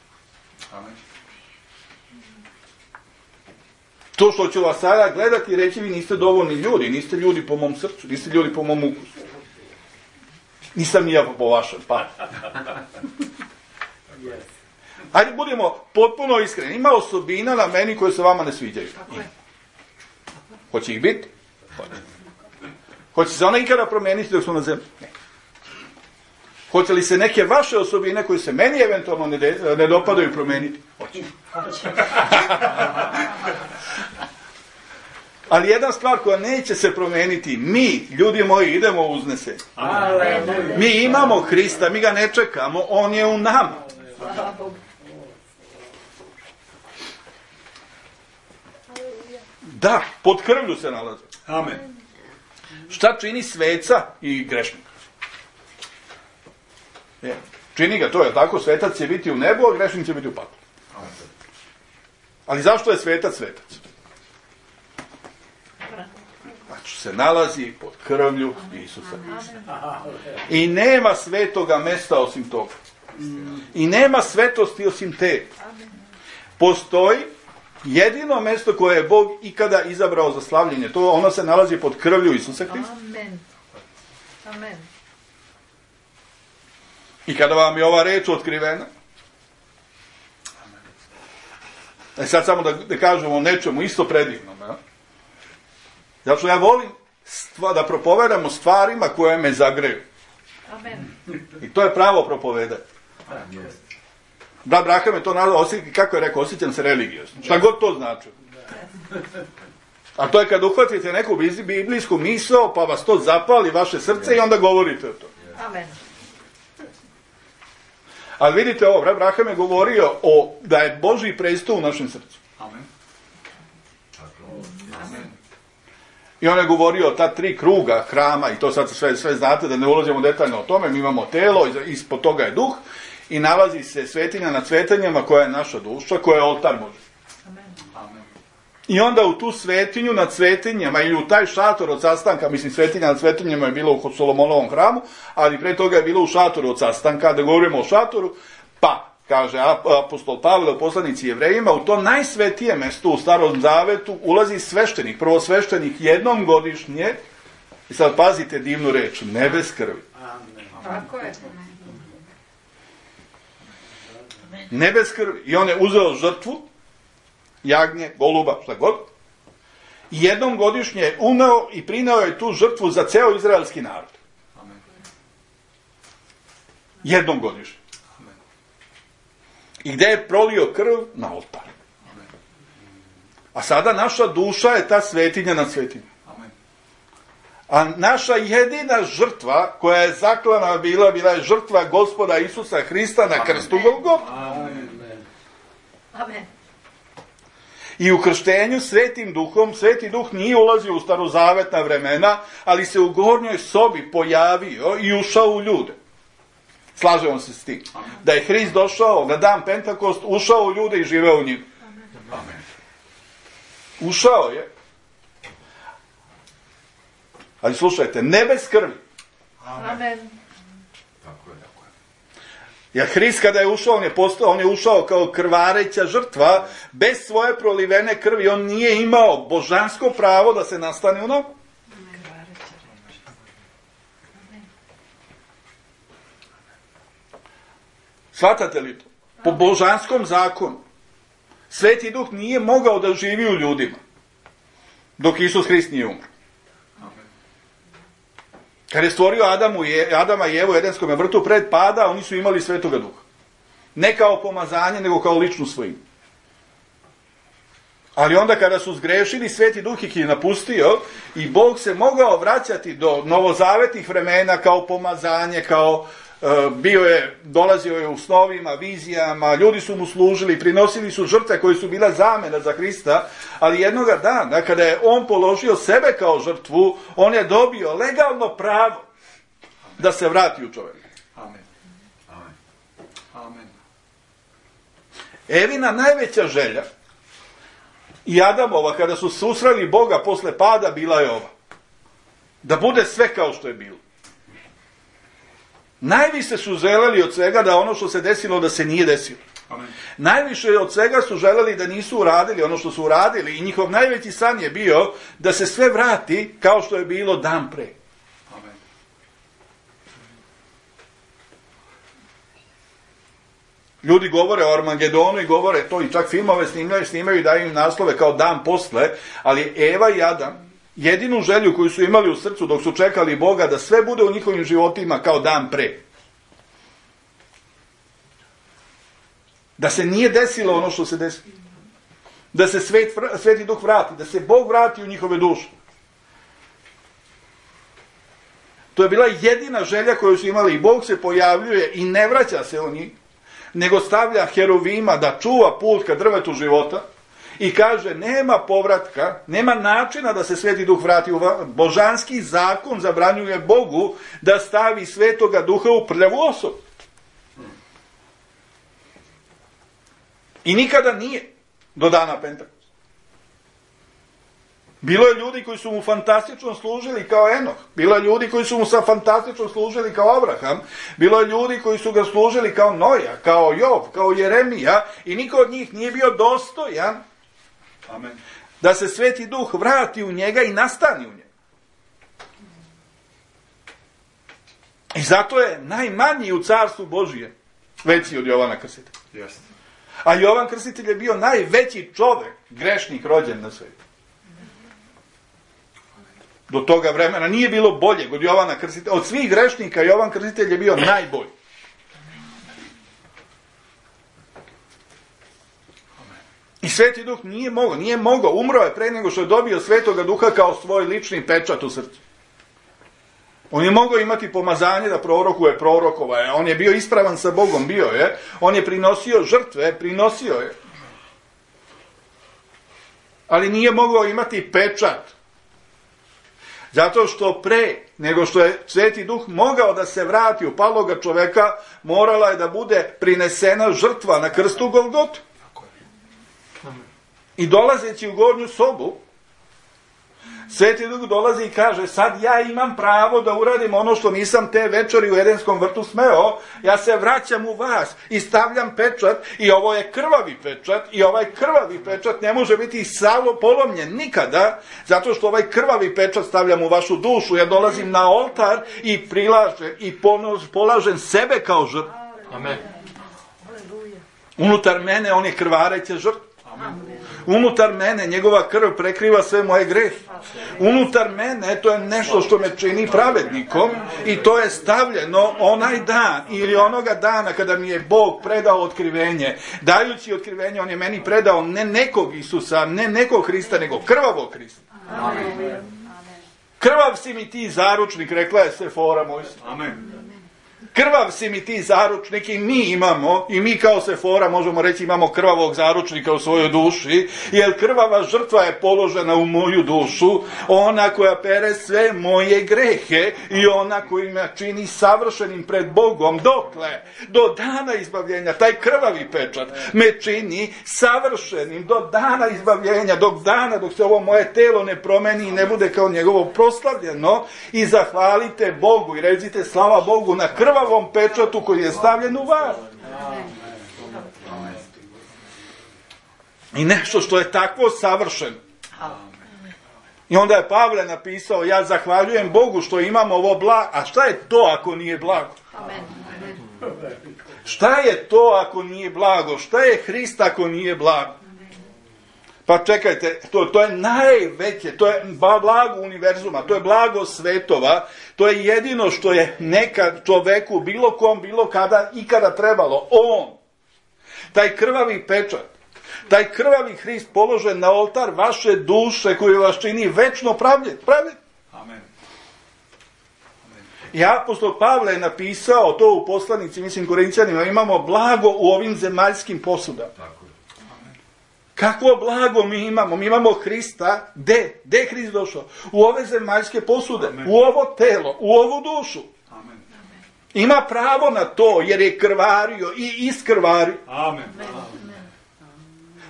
To što ću vas sada gledati i reći, vi niste dovoljni ljudi, niste ljudi po mom srcu, niste ljudi po mom ukusu. Nisam ni ja po vašem, pa. Ajde, budemo potpuno iskreni. Ima osobina na meni koje se vama ne sviđaju. Hoće ih biti? Hoće. Hoće se ona ikada promijeniti dok smo na zemlji? Ne. Hoće li se neke vaše osobine koje se meni eventualno ne, de, ne dopadaju promijeniti? Hoće. Ali jedna stvar koja neće se promijeniti, mi, ljudi moji, idemo u uznesenje. Mi imamo Hrista, mi ga ne čekamo, on je u nama. Da, pod krvlju se nalazi. Amen. Šta čini sveca i grešnika? Je. Čini ga to, je tako? Svetac će biti u nebu, a grešnik će biti u paklu. Ali zašto je svetac svetac? Znači se nalazi pod krvlju Isusa Hrista. I nema svetoga mesta osim toga. I nema svetosti osim te. Postoji jedino mjesto koje je Bog ikada izabrao za slavljenje. To ono se nalazi pod krvlju Isusa Hrista. Amen. Amen. I kada vam je ova reč otkrivena, e sad samo da, da kažemo o nečemu isto predivnom. Ja? Zato što ja volim stva, da propovedam o stvarima koje me zagreju. Amen. I to je pravo propovedanje. Brat Braham je to nazvao, kako je rekao, osjećam se religiozno. Šta god to znači. A to je kad uhvatite neku biblijsku misao, pa vas to zapali vaše srce i onda govorite o to. Amen. Ali vidite ovo, brat Braham je govorio o, da je Božji presto u našem srcu. Amen. I on je govorio o ta tri kruga hrama, i to sad sve, sve znate, da ne ulazimo detaljno o tome, mi imamo telo, ispod toga je duh, i nalazi se svetinja nad svetinjama koja je naša duša, koja je oltar Božji. Amen. I onda u tu svetinju nad svetinjama, ili u taj šator od sastanka, mislim svetinja nad svetinjama je bilo u Solomonovom hramu, ali pre toga je bilo u šatoru od sastanka, da govorimo o šatoru, pa, kaže apostol Pavle u poslanici Jevrejima, u to najsvetije mesto u Starom Zavetu ulazi sveštenik, prvo sveštenik jednom godišnje, i sad pazite divnu reč, ne bez krvi. Tako je. Ne bez krvi. I on je uzeo žrtvu, jagnje, goluba, šta god, i jednom godišnje je uneo i prineo je tu žrtvu za ceo izraelski narod. Jednom godišnje. I gdje je prolio krv? Na oltar. A sada naša duša je ta svetinja nad svetinjom. A naša jedina žrtva koja je zaklana bila, bila je žrtva Gospoda Isusa Hrista na krstu Golgote. Amen. I u krštenju svetim duhom, sveti duh nije ulazio u starozavetna vremena, ali se u gornjoj sobi pojavio i ušao u ljude. Slažemo se s tim. Da je Hrist došao na dan Pentakost, ušao u ljude i živeo u njima. Amen. Ušao je. Ali slušajte, ne bez krvi. Amen. Jer Hrist kada je ušao, on je, postao, on je ušao kao krvareća žrtva, bez svoje prolivene krvi, on nije imao božansko pravo da se nastane u nogu. Shvatate li to? Po božanskom zakonu. Sveti Duh nije mogao da živi u ljudima, dok Isus Hrist nije umro. Kad je stvorio Adamu je, Adama i Evu u Edenskom vrtu pred pada, oni su imali Svetoga Duha. Ne kao pomazanje, nego kao ličnu svojinu. Ali onda kada su zgrešili, Sveti Duh ih je napustio i Bog se mogao vraćati do novozavetnih vremena kao pomazanje, kao uh, bio je, dolazio je u snovima, vizijama, ljudi su mu služili, prinosili su žrtve koje su bila zamena za Hrista, ali jednoga dana kada je on položio sebe kao žrtvu, on je dobio legalno pravo da se vrati u čovjeka. Amen. Amen. Amen. Evina najveća želja i Adamova, kada su susreli Boga posle pada, bila je ova. Da bude sve kao što je bilo. Najviše su želeli od svega da ono što se desilo, da se nije desilo. Amen. Najviše od svega su želeli da nisu uradili ono što su uradili i njihov najveći san je bio da se sve vrati kao što je bilo dan pre. Amen. Ljudi govore o Armagedonu i govore to i čak filmove snimaju, snimaju i daju im naslove kao dan posle, ali Eva i Adam jedinu želju koju su imali u srcu dok su čekali Boga da sve bude u njihovim životima kao dan pre. Da se nije desilo ono što se desilo. Da se svet, Sveti Duh vrati, da se Bog vrati u njihove duše. To je bila jedina želja koju su imali i Bog se pojavljuje i ne vraća se u njih, nego stavlja Heruvima da čuva put ka drvetu života i kaže nema povratka, nema načina da se Sveti Duh vrati u vas. Božanski zakon zabranjuje Bogu da stavi Svetoga Duha u prljavu osobu. I nikada nije do dana Pentekosta. Bilo je ljudi koji su mu fantastično služili kao Enoh. Bilo je ljudi koji su mu sa fantastično služili kao Abraham. Bilo je ljudi koji su ga služili kao Noja, kao Jov, kao Jeremija. I niko od njih nije bio dostojan Amen. da se Sveti Duh vrati u njega i nastani u njega. I zato je najmanji u carstvu Božije veći od Jovana Krstitelja. Jeste. A Jovan Krstitelj je bio najveći čovek, grešnik rođen na svijetu. Do toga vremena nije bilo boljeg od Jovana Krstitelja. Od svih grešnika Jovan Krstitelj je bio najbolji. I Sveti Duh nije mogao, nije mogao, umro je pre nego što je dobio Svetoga Duha kao svoj lični pečat u srcu. On je mogao imati pomazanje da prorokuje, prorokova je. On je bio ispravan sa Bogom, bio je. On je prinosio žrtve, prinosio je. Ali nije mogao imati pečat. Zato što pre nego što je Sveti Duh mogao da se vrati u paloga čoveka, morala je da bude prinesena žrtva na krstu Golgotu. I dolazeći u gornju sobu, Sveti Duh dolazi i kaže, sad ja imam pravo da uradim ono što nisam te večeri u Edenskom vrtu smeo, ja se vraćam u vas i stavljam pečat i ovo je krvavi pečat i ovaj krvavi pečat ne može biti salo polomljen nikada, zato što ovaj krvavi pečat stavljam u vašu dušu, ja dolazim na oltar i prilažem i polažem sebe kao žrtvu. Amen. Unutar mene on je krvareća žrtva. Amen. Unutar mene njegova krv prekriva sve moje grehe. Unutar mene to je nešto što me čini pravednikom i to je stavljeno onaj dan ili onoga dana kada mi je Bog predao otkrivenje. Dajući otkrivenje on je meni predao ne nekog Isusa, ne nekog Hrista, nego krvavog Hrista. Amen. Krvav si mi ti zaručnik, rekla je Sefora Mojsija. Amen. Krvav si mi ti zaručnik i mi imamo, i mi kao Sefora možemo reći imamo krvavog zaručnika u svojoj duši, jer krvava žrtva je položena u moju dušu, ona koja pere sve moje grehe i ona koja me čini savršenim pred Bogom, dokle, do dana izbavljenja, taj krvavi pečat me čini savršenim do dana izbavljenja, dok dana, dok se ovo moje telo ne promeni i ne bude kao njegovo proslavljeno i zahvalite Bogu i recite slava Bogu na krvavom pečatu koji je stavljen u vas. I nešto što je takvo savršeno. I onda je Pavle napisao, ja zahvaljujem Bogu što imamo ovo blago. A šta je to ako nije blago? Šta je to ako nije blago? Šta je Hrist ako nije blago? Pa čekajte, to, to je najveće, to je blago univerzuma, to je blago svetova, to je jedino što je nekad čoveku, bilo kom, bilo kada, ikada trebalo. On, taj krvavi pečat, Taj krvavi Hrist položen na oltar vaše duše koji vas čini večno pravljen. Pravljen. Amen. I apostol Pavle je napisao to u poslanici, mislim Korinćanima, imamo blago u ovim zemaljskim posudama. Kakvo blago mi imamo? Mi imamo Hrista. Gde? Gde je Hrist došao? U ove zemaljske posude, Amen. u ovo telo, u ovu dušu. Amen. Ima pravo na to jer je krvario i iskrvario. Amen.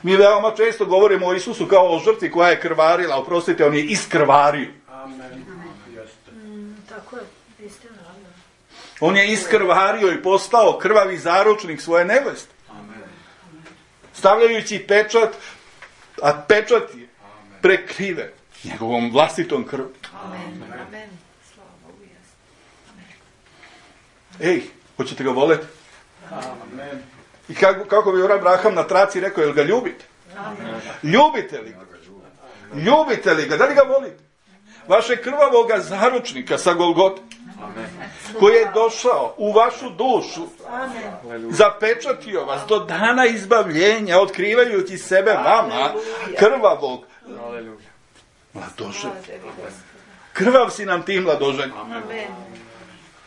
Mi veoma često govorimo o Isusu kao o žrtvi koja je krvarila, oprostite, on je iskrvario. Amen. Jeste. Tako je, istina. On je iskrvario i postao krvavi zaručnik svoje neveste. Amen. Stavljajući pečat, a pečat je prekriven njegovom vlastitom krvom. Amen. Amen. Slava u Jesu. Ej, hoćete ga voleti? Amen. I kako, kako bi Abraham na traci rekao, jel ga ljubite? Amen. Ljubite li ga? Ljubite li ga? Da li ga volite? Vaše krvavoga zaručnika sa Golgote, koji je došao u vašu dušu, Amen. zapečatio vas do dana izbavljenja, otkrivajući sebe vama, krvavog Aleluja. mladoženja. Slava tebi, Gospode. Krvav si nam ti mladoženja. Amen.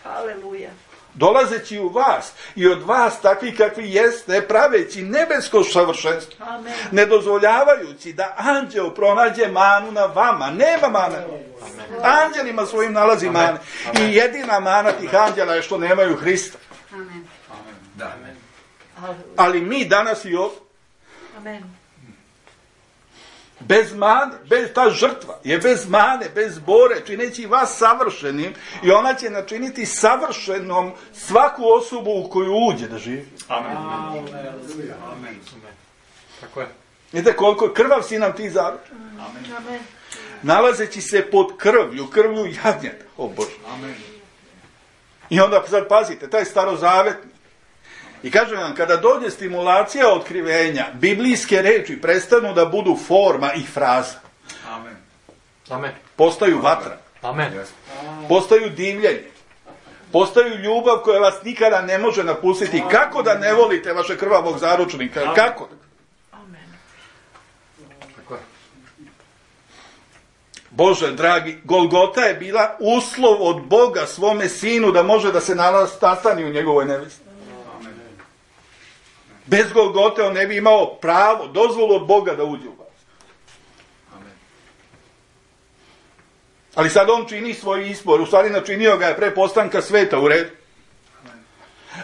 Aleluja. Dolazeći u vas i od vas takvi kakvi jeste, praveći nebesko savršenstvo, Amen. ne dozvoljavajući da anđeo pronađe manu na vama. Nema mane. Anđelima svojim nalazi mane. I jedina mana tih anđela je što nemaju Hrista. Amen. Da. Aleluja. Ali mi danas i ovdje, Amen. bez mane, bez, ta žrtva je bez mane, bez bore, čineći vas savršenim, i ona će načiniti savršenom svaku osobu u koju uđe da živi. Amen. Amen. Tako je. Vidite koliko krvav si nam ti zaručen. Amen. Amen. Nalazeći se pod krvlju, krvlju jagnjeta. O Bože. Amen. I onda sad pazite, taj starozavetni. I kažem vam, kada dođe stimulacija otkrivenja, biblijske reči prestanu da budu forma i fraza. Amen. Amen. Postaju vatra, Amen. postaju divljenje, postaju ljubav koja vas nikada ne može napustiti. Kako da ne volite vaše krvavog zaručnika? Kako? Amen. Tako je. Bože, dragi, Golgota je bila uslov od Boga svome sinu da može da se nastani u njegovoj nevesti. Bez Golgote on ne bi imao pravo, dozvolu od Boga da uđe u vas. Amen. Ali sad on čini svoj izbor, u stvari načinio ga je pre postanka sveta, u redu.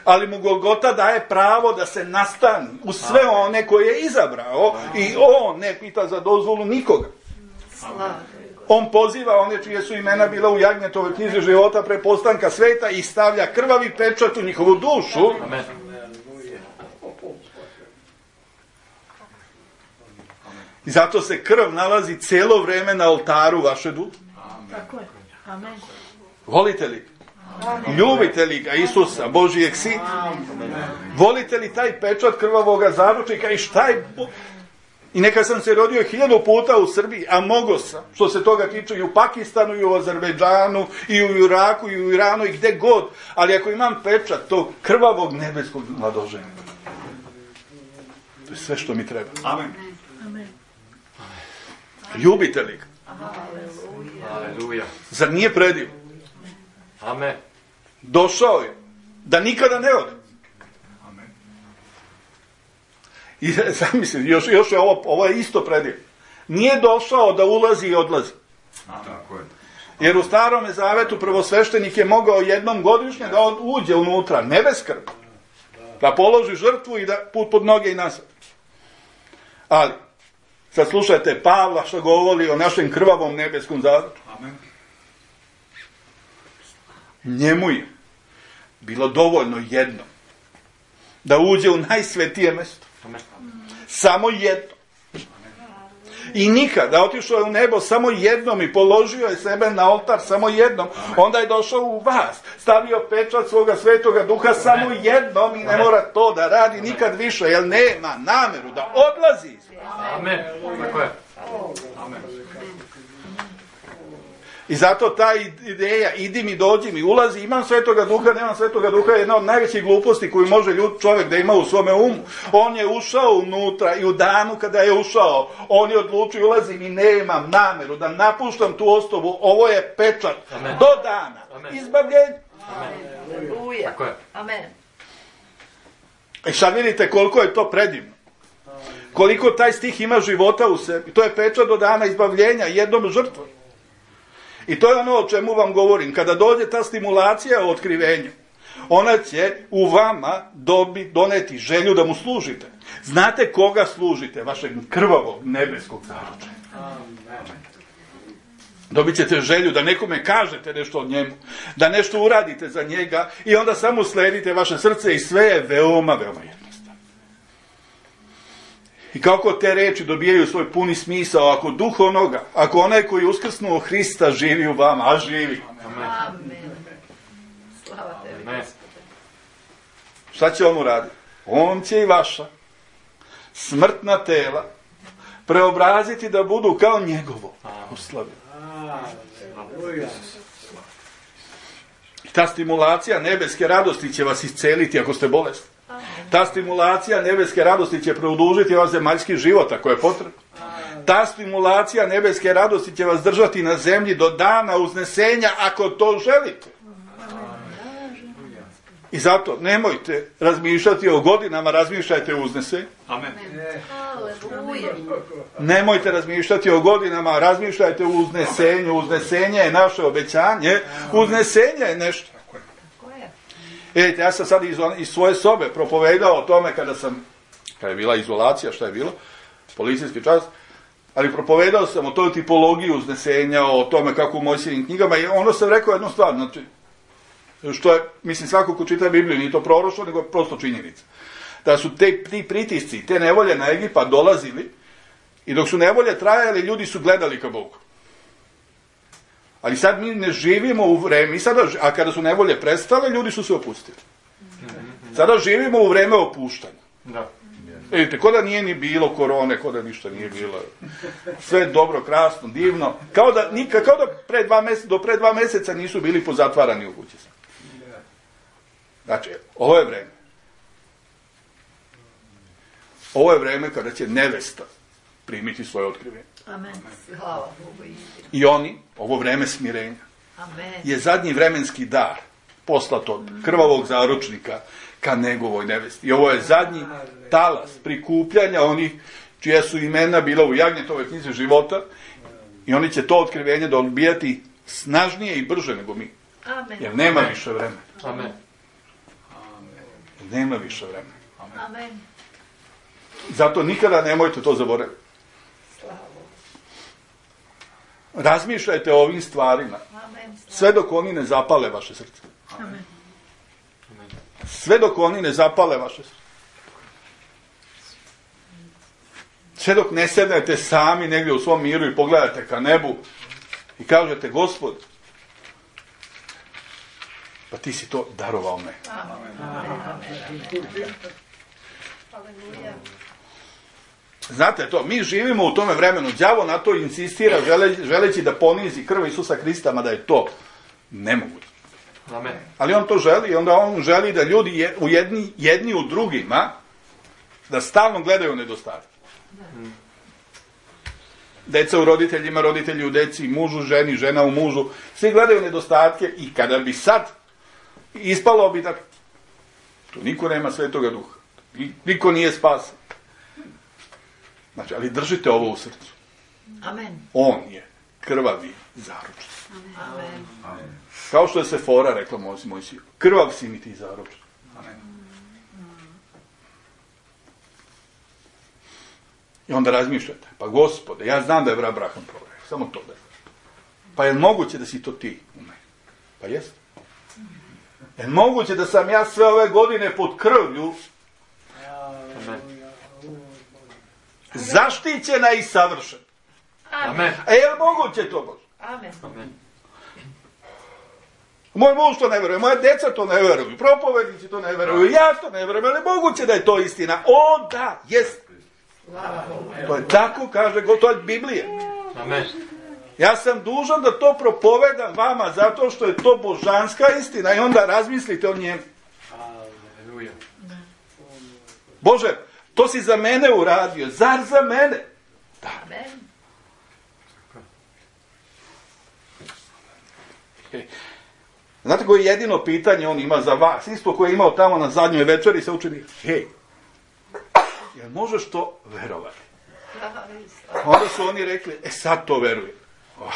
Ali mu Golgota daje pravo da se nastani u sve one koje je izabrao i on ne pita za dozvolu nikoga. Slava. On poziva one čije su imena bila u Jagnjetovoj knjizi života pre postanka sveta i stavlja krvavi pečat u njihovu dušu. Amen. I zato se krv nalazi cijelo vreme na oltaru vaše duše. Tako je. Amen. Volite li? Ljubite li ga, Isusa, Božijeg Sina? Volite li taj pečat krvavoga zaručnika i šta je... Bo... I neka sam se rodio hiljadu puta u Srbiji, a mogo sam, što se toga tiče i u Pakistanu, i u Azerbejdžanu, i u Iraku, i u Iranu, i gde god. Ali ako imam pečat tog krvavog nebeskog mladoženja, to je sve što mi treba. Amen. Amen. Ljubite li ga? Aleluja. Aleluja. Zar nije prediv? Amen. Došao je da nikada ne ode. Amen. I zamislim, još, još je ovo, ovo je isto prediv. Nije došao da ulazi i odlazi. Tako je. Jer u Starome Zavetu prvosveštenik je mogao jednom godišnje da on uđe unutra, ne bez krvi. Da položi žrtvu i da put pod noge i nazad. Ali, sad slušajte Pavla što govori o našem krvavom nebeskom zavetu. Amen. Njemu je bilo dovoljno jedno da uđe u najsvetije mjesto. Amen. Samo jedno. I nikada, otišao je u nebo samo jednom i položio je sebe na oltar samo jednom. Onda je došao u vas, stavio pečat svoga svetoga duha samo jednom i ne mora to da radi nikad više, jer nema nameru da odlazi. Amen. Tako je. Amen. I zato ta ideja, idi mi, dođi mi, ulazi, imam Svetoga Duha, nemam Svetoga Duha, je jedna od najvećih gluposti koju može ljud, čovjek da ima u svome umu. On je ušao unutra i u danu kada je ušao, on je odlučio, ulazim i nemam nameru da napuštam tu osobu, ovo je pečat. Amen. Do dana. Amen. Izbavljenje. Aleluja. Tako je. Amen. I sad vidite koliko je to predivno. Koliko taj stih ima života u sebi. To je pečat do dana izbavljenja jednom žrtvom. I to je ono o čemu vam govorim. Kada dođe ta stimulacija o otkrivenju, ona će u vama dobi, doneti želju da mu služite. Znate koga služite? Vašeg krvavog nebeskog zaročenja. Dobit ćete želju da nekome kažete nešto o njemu, da nešto uradite za njega i onda samo sledite vaše srce i sve je veoma, veoma jednostavno. I kako te reči dobijaju svoj puni smisao, ako duh onoga, ako onaj koji je uskrsnuo Hrista živi u vama, a živi. Amen. Slava tebi, Gospode. Šta će on uraditi? On će i vaša smrtna tela preobraziti da budu kao njegovo. Uslavljeno. I ta stimulacija nebeske radosti će vas isceliti ako ste bolesni. Ta stimulacija nebeske radosti će produžiti vaš zemaljski život ako je potrebno. Ta stimulacija nebeske radosti će vas držati na zemlji do dana uznesenja ako to želite. I zato nemojte razmišljati o godinama, razmišljajte o uznesenju. Amen. Aleluja. Nemojte razmišljati o godinama, razmišljajte o uznesenju. Uznesenje je naše obećanje. Uznesenje je nešto. Tako je. Vidite, ja sam sad iz, iz svoje sobe propovedao o tome kada sam, kada je bila izolacija, šta je bilo, policijski čas, ali propovedao sam o toj tipologiji uznesenja, o tome kako u Mojsijevim knjigama, i ono sam rekao jednu stvar, znači, što je, mislim, svako ko čita Bibliju, nije to proroštvo, nego prosto činjenica. Da su te, ti pritisci, te nevolje na Egipat dolazili i dok su nevolje trajali, ljudi su gledali ka Bogu. Ali sad mi ne živimo u vreme, sada, a kada su nevolje prestale, ljudi su se opustili. Sada živimo u vreme opuštanja. Da. Vidite, ko da nije ni bilo korone, ko da ništa nije bilo. Sve je dobro, krasno, divno. Kao da, nikad, kao da pre dva meseca, do pre dva meseca nisu bili pozatvarani u kući. Znači, ovo je vreme. Ovo je vreme kada će nevesta primiti svoje otkrivenje. Amen. Slava Bogu. I oni, ovo vreme smirenja, Amen. je zadnji vremenski dar poslat od krvavog zaručnika ka njegovoj nevesti. I ovo je zadnji talas prikupljanja onih čija su imena bila u Jagnjetovoj knjizi života i oni će to otkrivenje dobijati snažnije i brže nego mi. Amen. Jer nema više vremena. Amen. Nema više vremena. Amen. Zato nikada nemojte to zaboraviti. Slava Bogu. Razmišljajte o ovim stvarima. Amen. Sve dok oni ne zapale vaše srce. Amen. Sve dok oni ne zapale vaše srce. Sve dok ne sednete sami negdje u svom miru i pogledate ka nebu i kažete, Gospod, pa ti si to darovao me. Aleluja. Znate to, mi živimo u tome vremenu. Đavo na to insistira žele, želeći da ponizi krv Isusa Hrista, mada je to nemoguće. Amen. Ali on to želi i onda on želi da ljudi je, u jedni, jedni u drugima da stalno gledaju nedostatke. Deca u roditeljima, roditelji u deci, mužu, ženi, žena u mužu. Svi gledaju nedostatke i kada bi sad ispalo bi da tu niko nema Svetoga Duha. Niko nije spasan. Znači, ali držite ovo u srcu. Amen. On je krvavi zaručnik. Amen. Kao što je Sefora rekla Mojsiju. Krvav si mi ti zaručnik. I onda razmišljate, pa Gospode, ja znam da je Abraham prorok, samo to da je. Pa je moguće da si to ti u meni? Pa jeste. Je moguće da sam ja sve ove godine pod krvlju zaštićena i savršena? Amen. A je li moguće to, Bože? Amen. Amen. Moj muž to ne veruje, moja deca to ne veruju, propovednici to ne veruju, ja to ne verujem, ali moguće da je to istina. O, da, jest. To je tako, kaže, to je Biblija. Amen. Ja sam dužan da to propovedam vama zato što je to božanska istina i onda razmislite o njemu. Aleluja. Bože, to si za mene uradio, zar za mene? Da. Amen. Znate koje jedino pitanje on ima za vas, isto koje je imao tamo na zadnjoj večeri sa učenicima. Hej, jel možeš to verovati? Onda su oni rekli, e sad to verujem. Oh.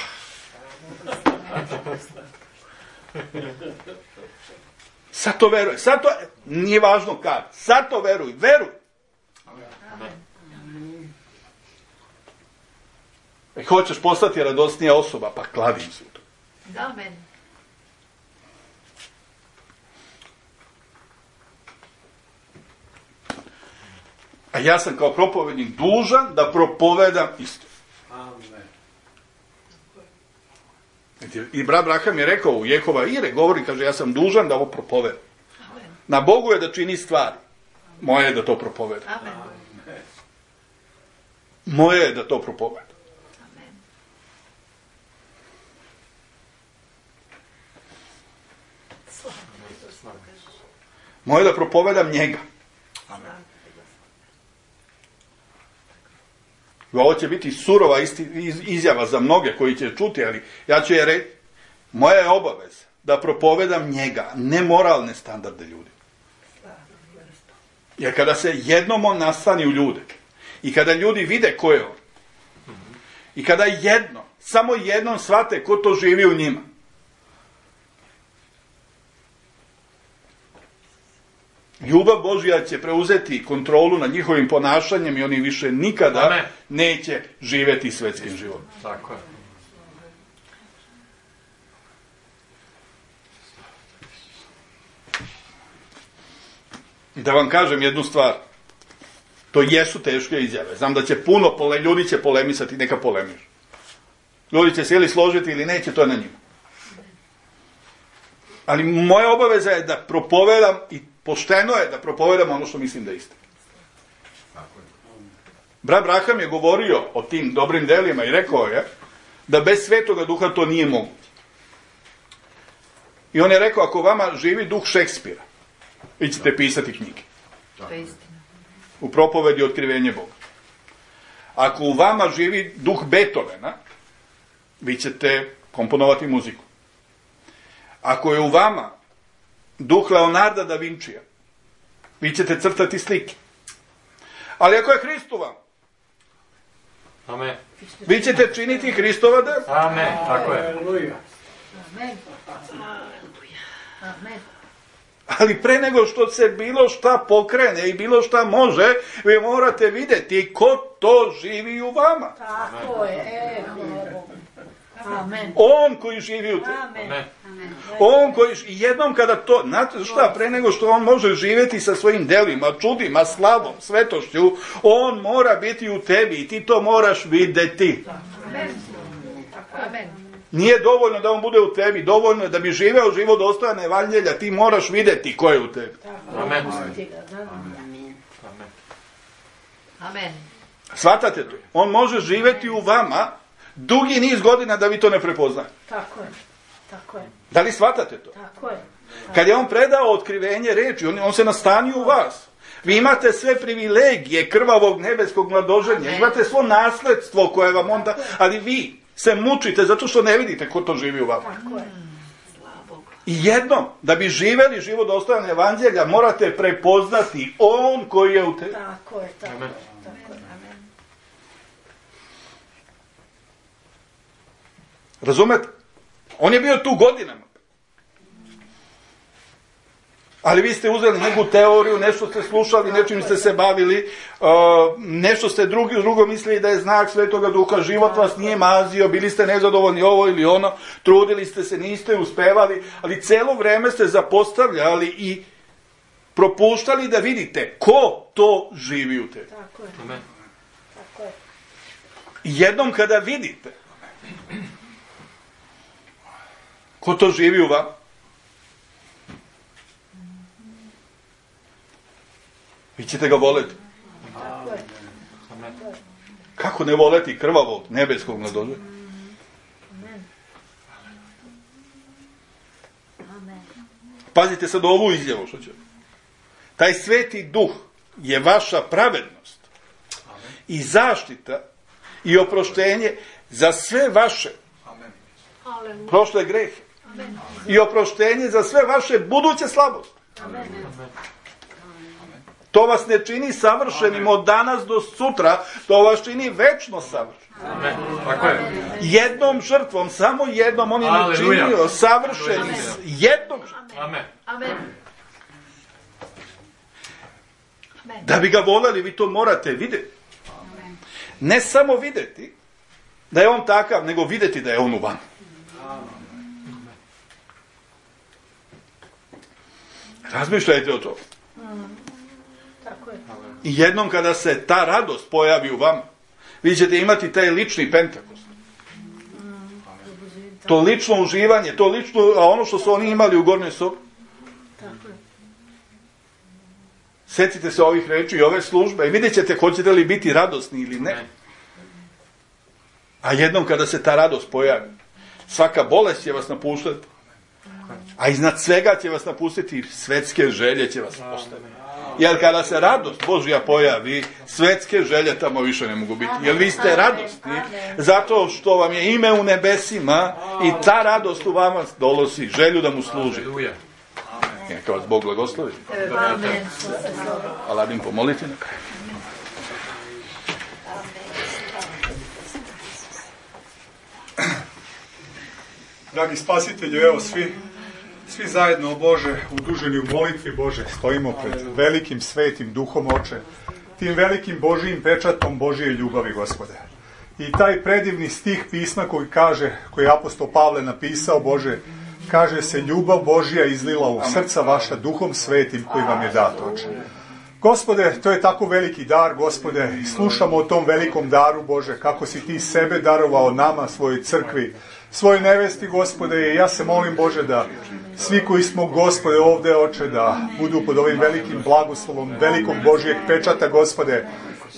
Sad to veruj, sad to, nije važno kad, sad to veruj, veruj. E, hoćeš postati radosnija osoba, pa klavim se u to. Amen. A ja sam kao propovednik dužan da propovedam isto. I brat Braham je rekao u Jehova Ire, govori, kaže, ja sam dužan da ovo propovedam. Na Bogu je da čini stvari. Moje je da to propovedam. Amen. Moje je da to propovedam. Amen. Moje je da propovedam njega. Ovo će biti surova isti, iz, izjava za mnoge koji će čuti, ali ja ću je reći, moja je obaveza da propovedam njega, ne moralne standarde ljudi. Jer kada se jednom on nastani u ljude, i kada ljudi vide ko je on, i kada jedno, samo jednom shvate ko to živi u njima, ljubav Božja će preuzeti kontrolu nad njihovim ponašanjem i oni više nikada Amen. Neće živjeti svetskim životom. Tako je. Da vam kažem jednu stvar. To jesu teške izjave. Znam da će puno pole, ljudi će polemisati, neka polemiš. Ljudi će se ili složiti ili neće, to je na njima. Ali moja obaveza je da propovedam i pošteno je da propovedam ono što mislim da je istina. Brat Braham je govorio o tim dobrim delima i rekao je da bez Svetoga Duha to nije moguće. I on je rekao, ako vama živi duh Šekspira, vi ćete pisati knjige. To je istina. U propovedi Otkrivenje Boga. Ako u vama živi duh Beethovena, vi ćete komponovati muziku. Ako je u vama duh Leonarda da Vincija, vi ćete crtati slike. Ali ako je Hrist u vama, Amen. vi ćete činiti Hristova dela. Amen. Tako je. Amen. Amen. Ali pre nego što se bilo šta pokrene i bilo šta može, vi morate vidjeti ko to živi u vama. Tako je. E, hvala Bogu. Amen. On koji živi u tebi. Amen. Amen. On koji, i jednom kada to, znate šta, pre nego što on može živjeti sa svojim delima, čudima, slavom, svetošću, on mora biti u tebi i ti to moraš vidjeti. Amen. Amen. Nije dovoljno da on bude u tebi, dovoljno je da bi živeo život dostojan evanđelja, ti moraš vidjeti ko je u tebi. Amen. Amen. Shvatate to? On može živjeti u vama dugi niz godina da vi to ne prepoznate. Tako je. Tako je. Da li shvatate to? Tako je. Kad je on predao otkrivenje reči, on, on se nastanio u vas. Vi imate sve privilegije krvavog nebeskog mladoženja, imate svo nasledstvo koje vam onda, ali vi se mučite zato što ne vidite ko to živi u vama. Tako je. Slava Bogu. I jednom, da bi živeli život dostojan evanđelja, morate prepoznati on koji je u tebi. Tako je. Tako Amen. je. Tako je. Amen. Razumete? On je bio tu godinama. Ali vi ste uzeli neku teoriju, nešto ste slušali, nečim ste se bavili, uh, nešto ste drugi, drugo mislili da je znak Svetoga Duha, život vas nije mazio, bili ste nezadovoljni ovo ili ono, trudili ste se, niste uspevali, ali celo vreme ste zapostavljali i propuštali da vidite ko to živi u tebi. Tako je. Amen. Tako je. I jednom kada vidite ko to živi u vama, vi ćete ga voleti. Tako je. Amen. Kako ne voleti krvavog nebeskog mladoženja? Pazite sad ovu izjavu što će. Taj sveti duh je vaša pravednost i zaštita i oproštenje za sve vaše prošle grehe i oproštenje za sve vaše buduće slabosti. To vas ne čini savršenim od danas do sutra, to vas čini večno savršenim. Jednom žrtvom, samo jednom, on je načinio savršenim jednom žrtvom. Da bi ga voljeli, vi to morate vidjeti. Ne samo vidjeti da je on takav, nego vidjeti da je on u vama. Razmišljajte o to. I jednom kada se ta radost pojavi u vama, vi ćete imati taj lični Pentakost. To lično uživanje, to lično, a ono što su oni imali u gornjoj sobi. Sjetite se ovih reči i ove službe i vidjet ćete hoćete li biti radosni ili ne. A jednom kada se ta radost pojavi, svaka bolest će vas napuštati. A iznad svega će vas napustiti svetske želje će vas postaviti. Jer kada se radost Božja pojavi, svetske želje tamo više ne mogu biti. Jer vi ste radosni zato što vam je ime u nebesima i ta radost u vama dolosi želju da mu služi. Neka vas Bog blagoslovi. Aladim, pomolite na kraju. Dragi spasitelju, evo svi, svi zajedno, Bože, uduženi u molitvi, Bože, stojimo pred velikim svetim duhom, Oče, tim velikim Božijim pečatom Božije ljubavi, Gospode. I taj predivni stih pisma koji kaže, koji je apostol Pavle napisao, Bože, kaže se, ljubav Božja izlila u srca vaša duhom svetim koji vam je dat, Oče. Gospode, to je tako veliki dar, Gospode, i slušamo o tom velikom daru, Bože, kako si ti sebe darovao nama, svojoj crkvi, svojoj nevesti, Gospode, i ja se molim, Bože, da svi koji smo, Gospode, ovdje, Oče, da budu pod ovim velikim blagoslovom, velikom Božijeg pečata, Gospode.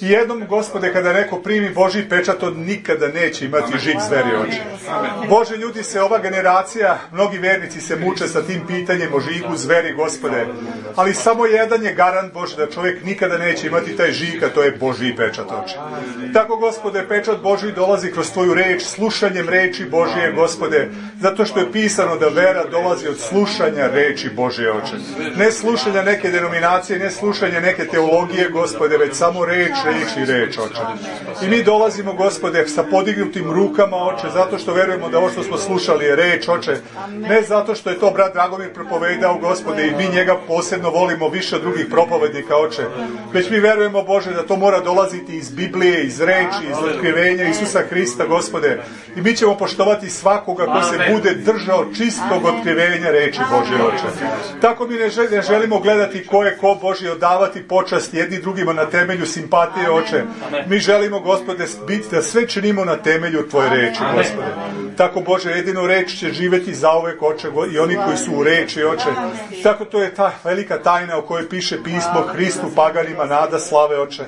I jednom, Gospode, kada neko primi Božji pečat, on nikada neće imati žig zveri, Oče. Bože, ljudi se, ova generacija, mnogi vernici se muče sa tim pitanjem o žigu zveri, Gospode. Ali samo jedan je garant, Bože, da čovjek nikada neće imati taj žig, a to je Božji pečat, Oče. Tako, Gospode, pečat Božji dolazi kroz tvoju reč, slušanjem reči Božje, Gospode, zato što je pisano da vera dolazi od slušanja reči Božje, Oče. Ne slušanja neke denominacije, ne slušanja neke teologije, Gospode, već samo reč, reč i reč, Oče. I mi dolazimo, Gospode, sa podignutim rukama, Oče, zato što verujemo da ovo što smo slušali je reč, Oče. Ne zato što je to brat Dragomir propovedao, Gospode, i mi njega posebno volimo više od drugih propovednika, Oče. Već mi verujemo, Bože, da to mora dolaziti iz Biblije, iz reči, iz otkrivenja Isusa Hrista, Gospode. I mi ćemo poštovati svakoga ko se bude držao čistog otkrivenja reči Božje, Oče. Tako mi ne želimo gledati ko je ko, Bože, odavati počast jedni drugima na temelju simpatije, Oče. Mi želimo, Gospode, biti da sve činimo na temelju tvoje reči, Gospode. Tako, Bože, jedino reč će živjeti zauvek, Oče, i oni koji su u reči, Oče. Tako to je ta velika tajna o kojoj piše pismo, Hristu paganima nada slave, Oče.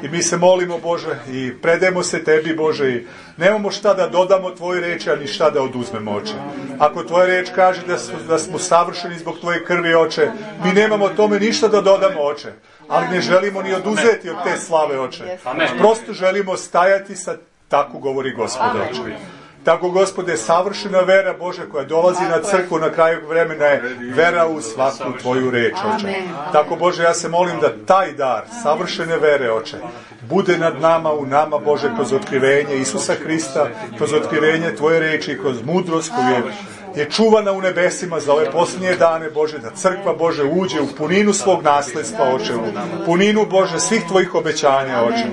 I mi se molimo, Bože, i predajemo se tebi, Bože, i nemamo šta da dodamo tvoje reči, a ni šta da oduzmemo, Oče. Ako tvoja reč kaže da smo, da smo savršeni zbog tvoje krvi, Oče, mi nemamo tome ništa da dodamo, Oče. Ali ne želimo ni oduzeti od te slave, Oče. Prosto želimo stajati sa, tako govori Gospod, Oče. Tako, Gospode, savršena vera, Bože, koja dolazi na crkvu na kraju vremena je vera u svaku tvoju reč, Oče. Tako, Bože, ja se molim da taj dar savršene vere, Oče, bude nad nama, u nama, Bože, kroz otkrivenje Isusa Hrista, kroz otkrivenje tvoje reči, kroz mudrost koju je je čuvana u nebesima za ove posljednje dane, Bože, da crkva, Bože, uđe u puninu svog nasljedstva, Oče, u puninu, Bože, svih tvojih obećanja, Oče.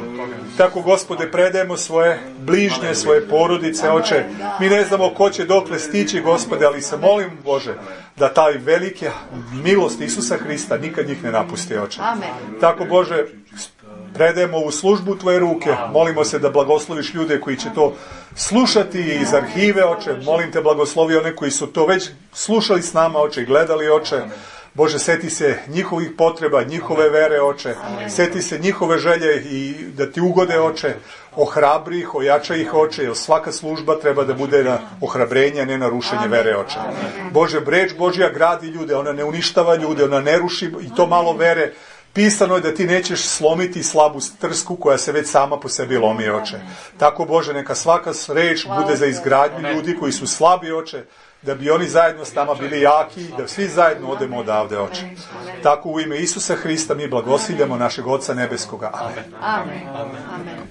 Tako, Gospode, predajemo svoje bližnje, svoje porodice, Oče. Mi ne znamo ko će dokle stići, Gospode, ali se molim, Bože, da taj velike milost Isusa Hrista nikad njih ne napusti, Oče. Tako, Bože, predajemo u službu tvoje ruke, molimo se da blagosloviš ljude koji će to slušati iz arhive, Oče. Molim te, blagoslovi one koji su to već slušali s nama, Oče, i gledali, Oče. Bože, seti se njihovih potreba, njihove vere, Oče. Seti se njihove želje i da ti ugode, Oče. Ohrabri ih, ojača ih, oče, jer svaka služba treba da bude na ohrabrenje, a ne na rušenje vere, oče. Bože, reč Božja gradi ljude, ona ne uništava ljude, ona ne ruši i to malo vere. Pisano je da ti nećeš slomiti slabu trsku koja se već sama po sebi lomi, oče. Tako, Bože, neka svaka reč bude za izgradnju ljudi koji su slabi, oče, da bi oni zajedno s nama bili jaki, da svi zajedno odemo odavde, oče. Tako u ime Isusa Hrista mi blagosiljamo našeg Oca Nebeskoga. Amen. Amen. Amen.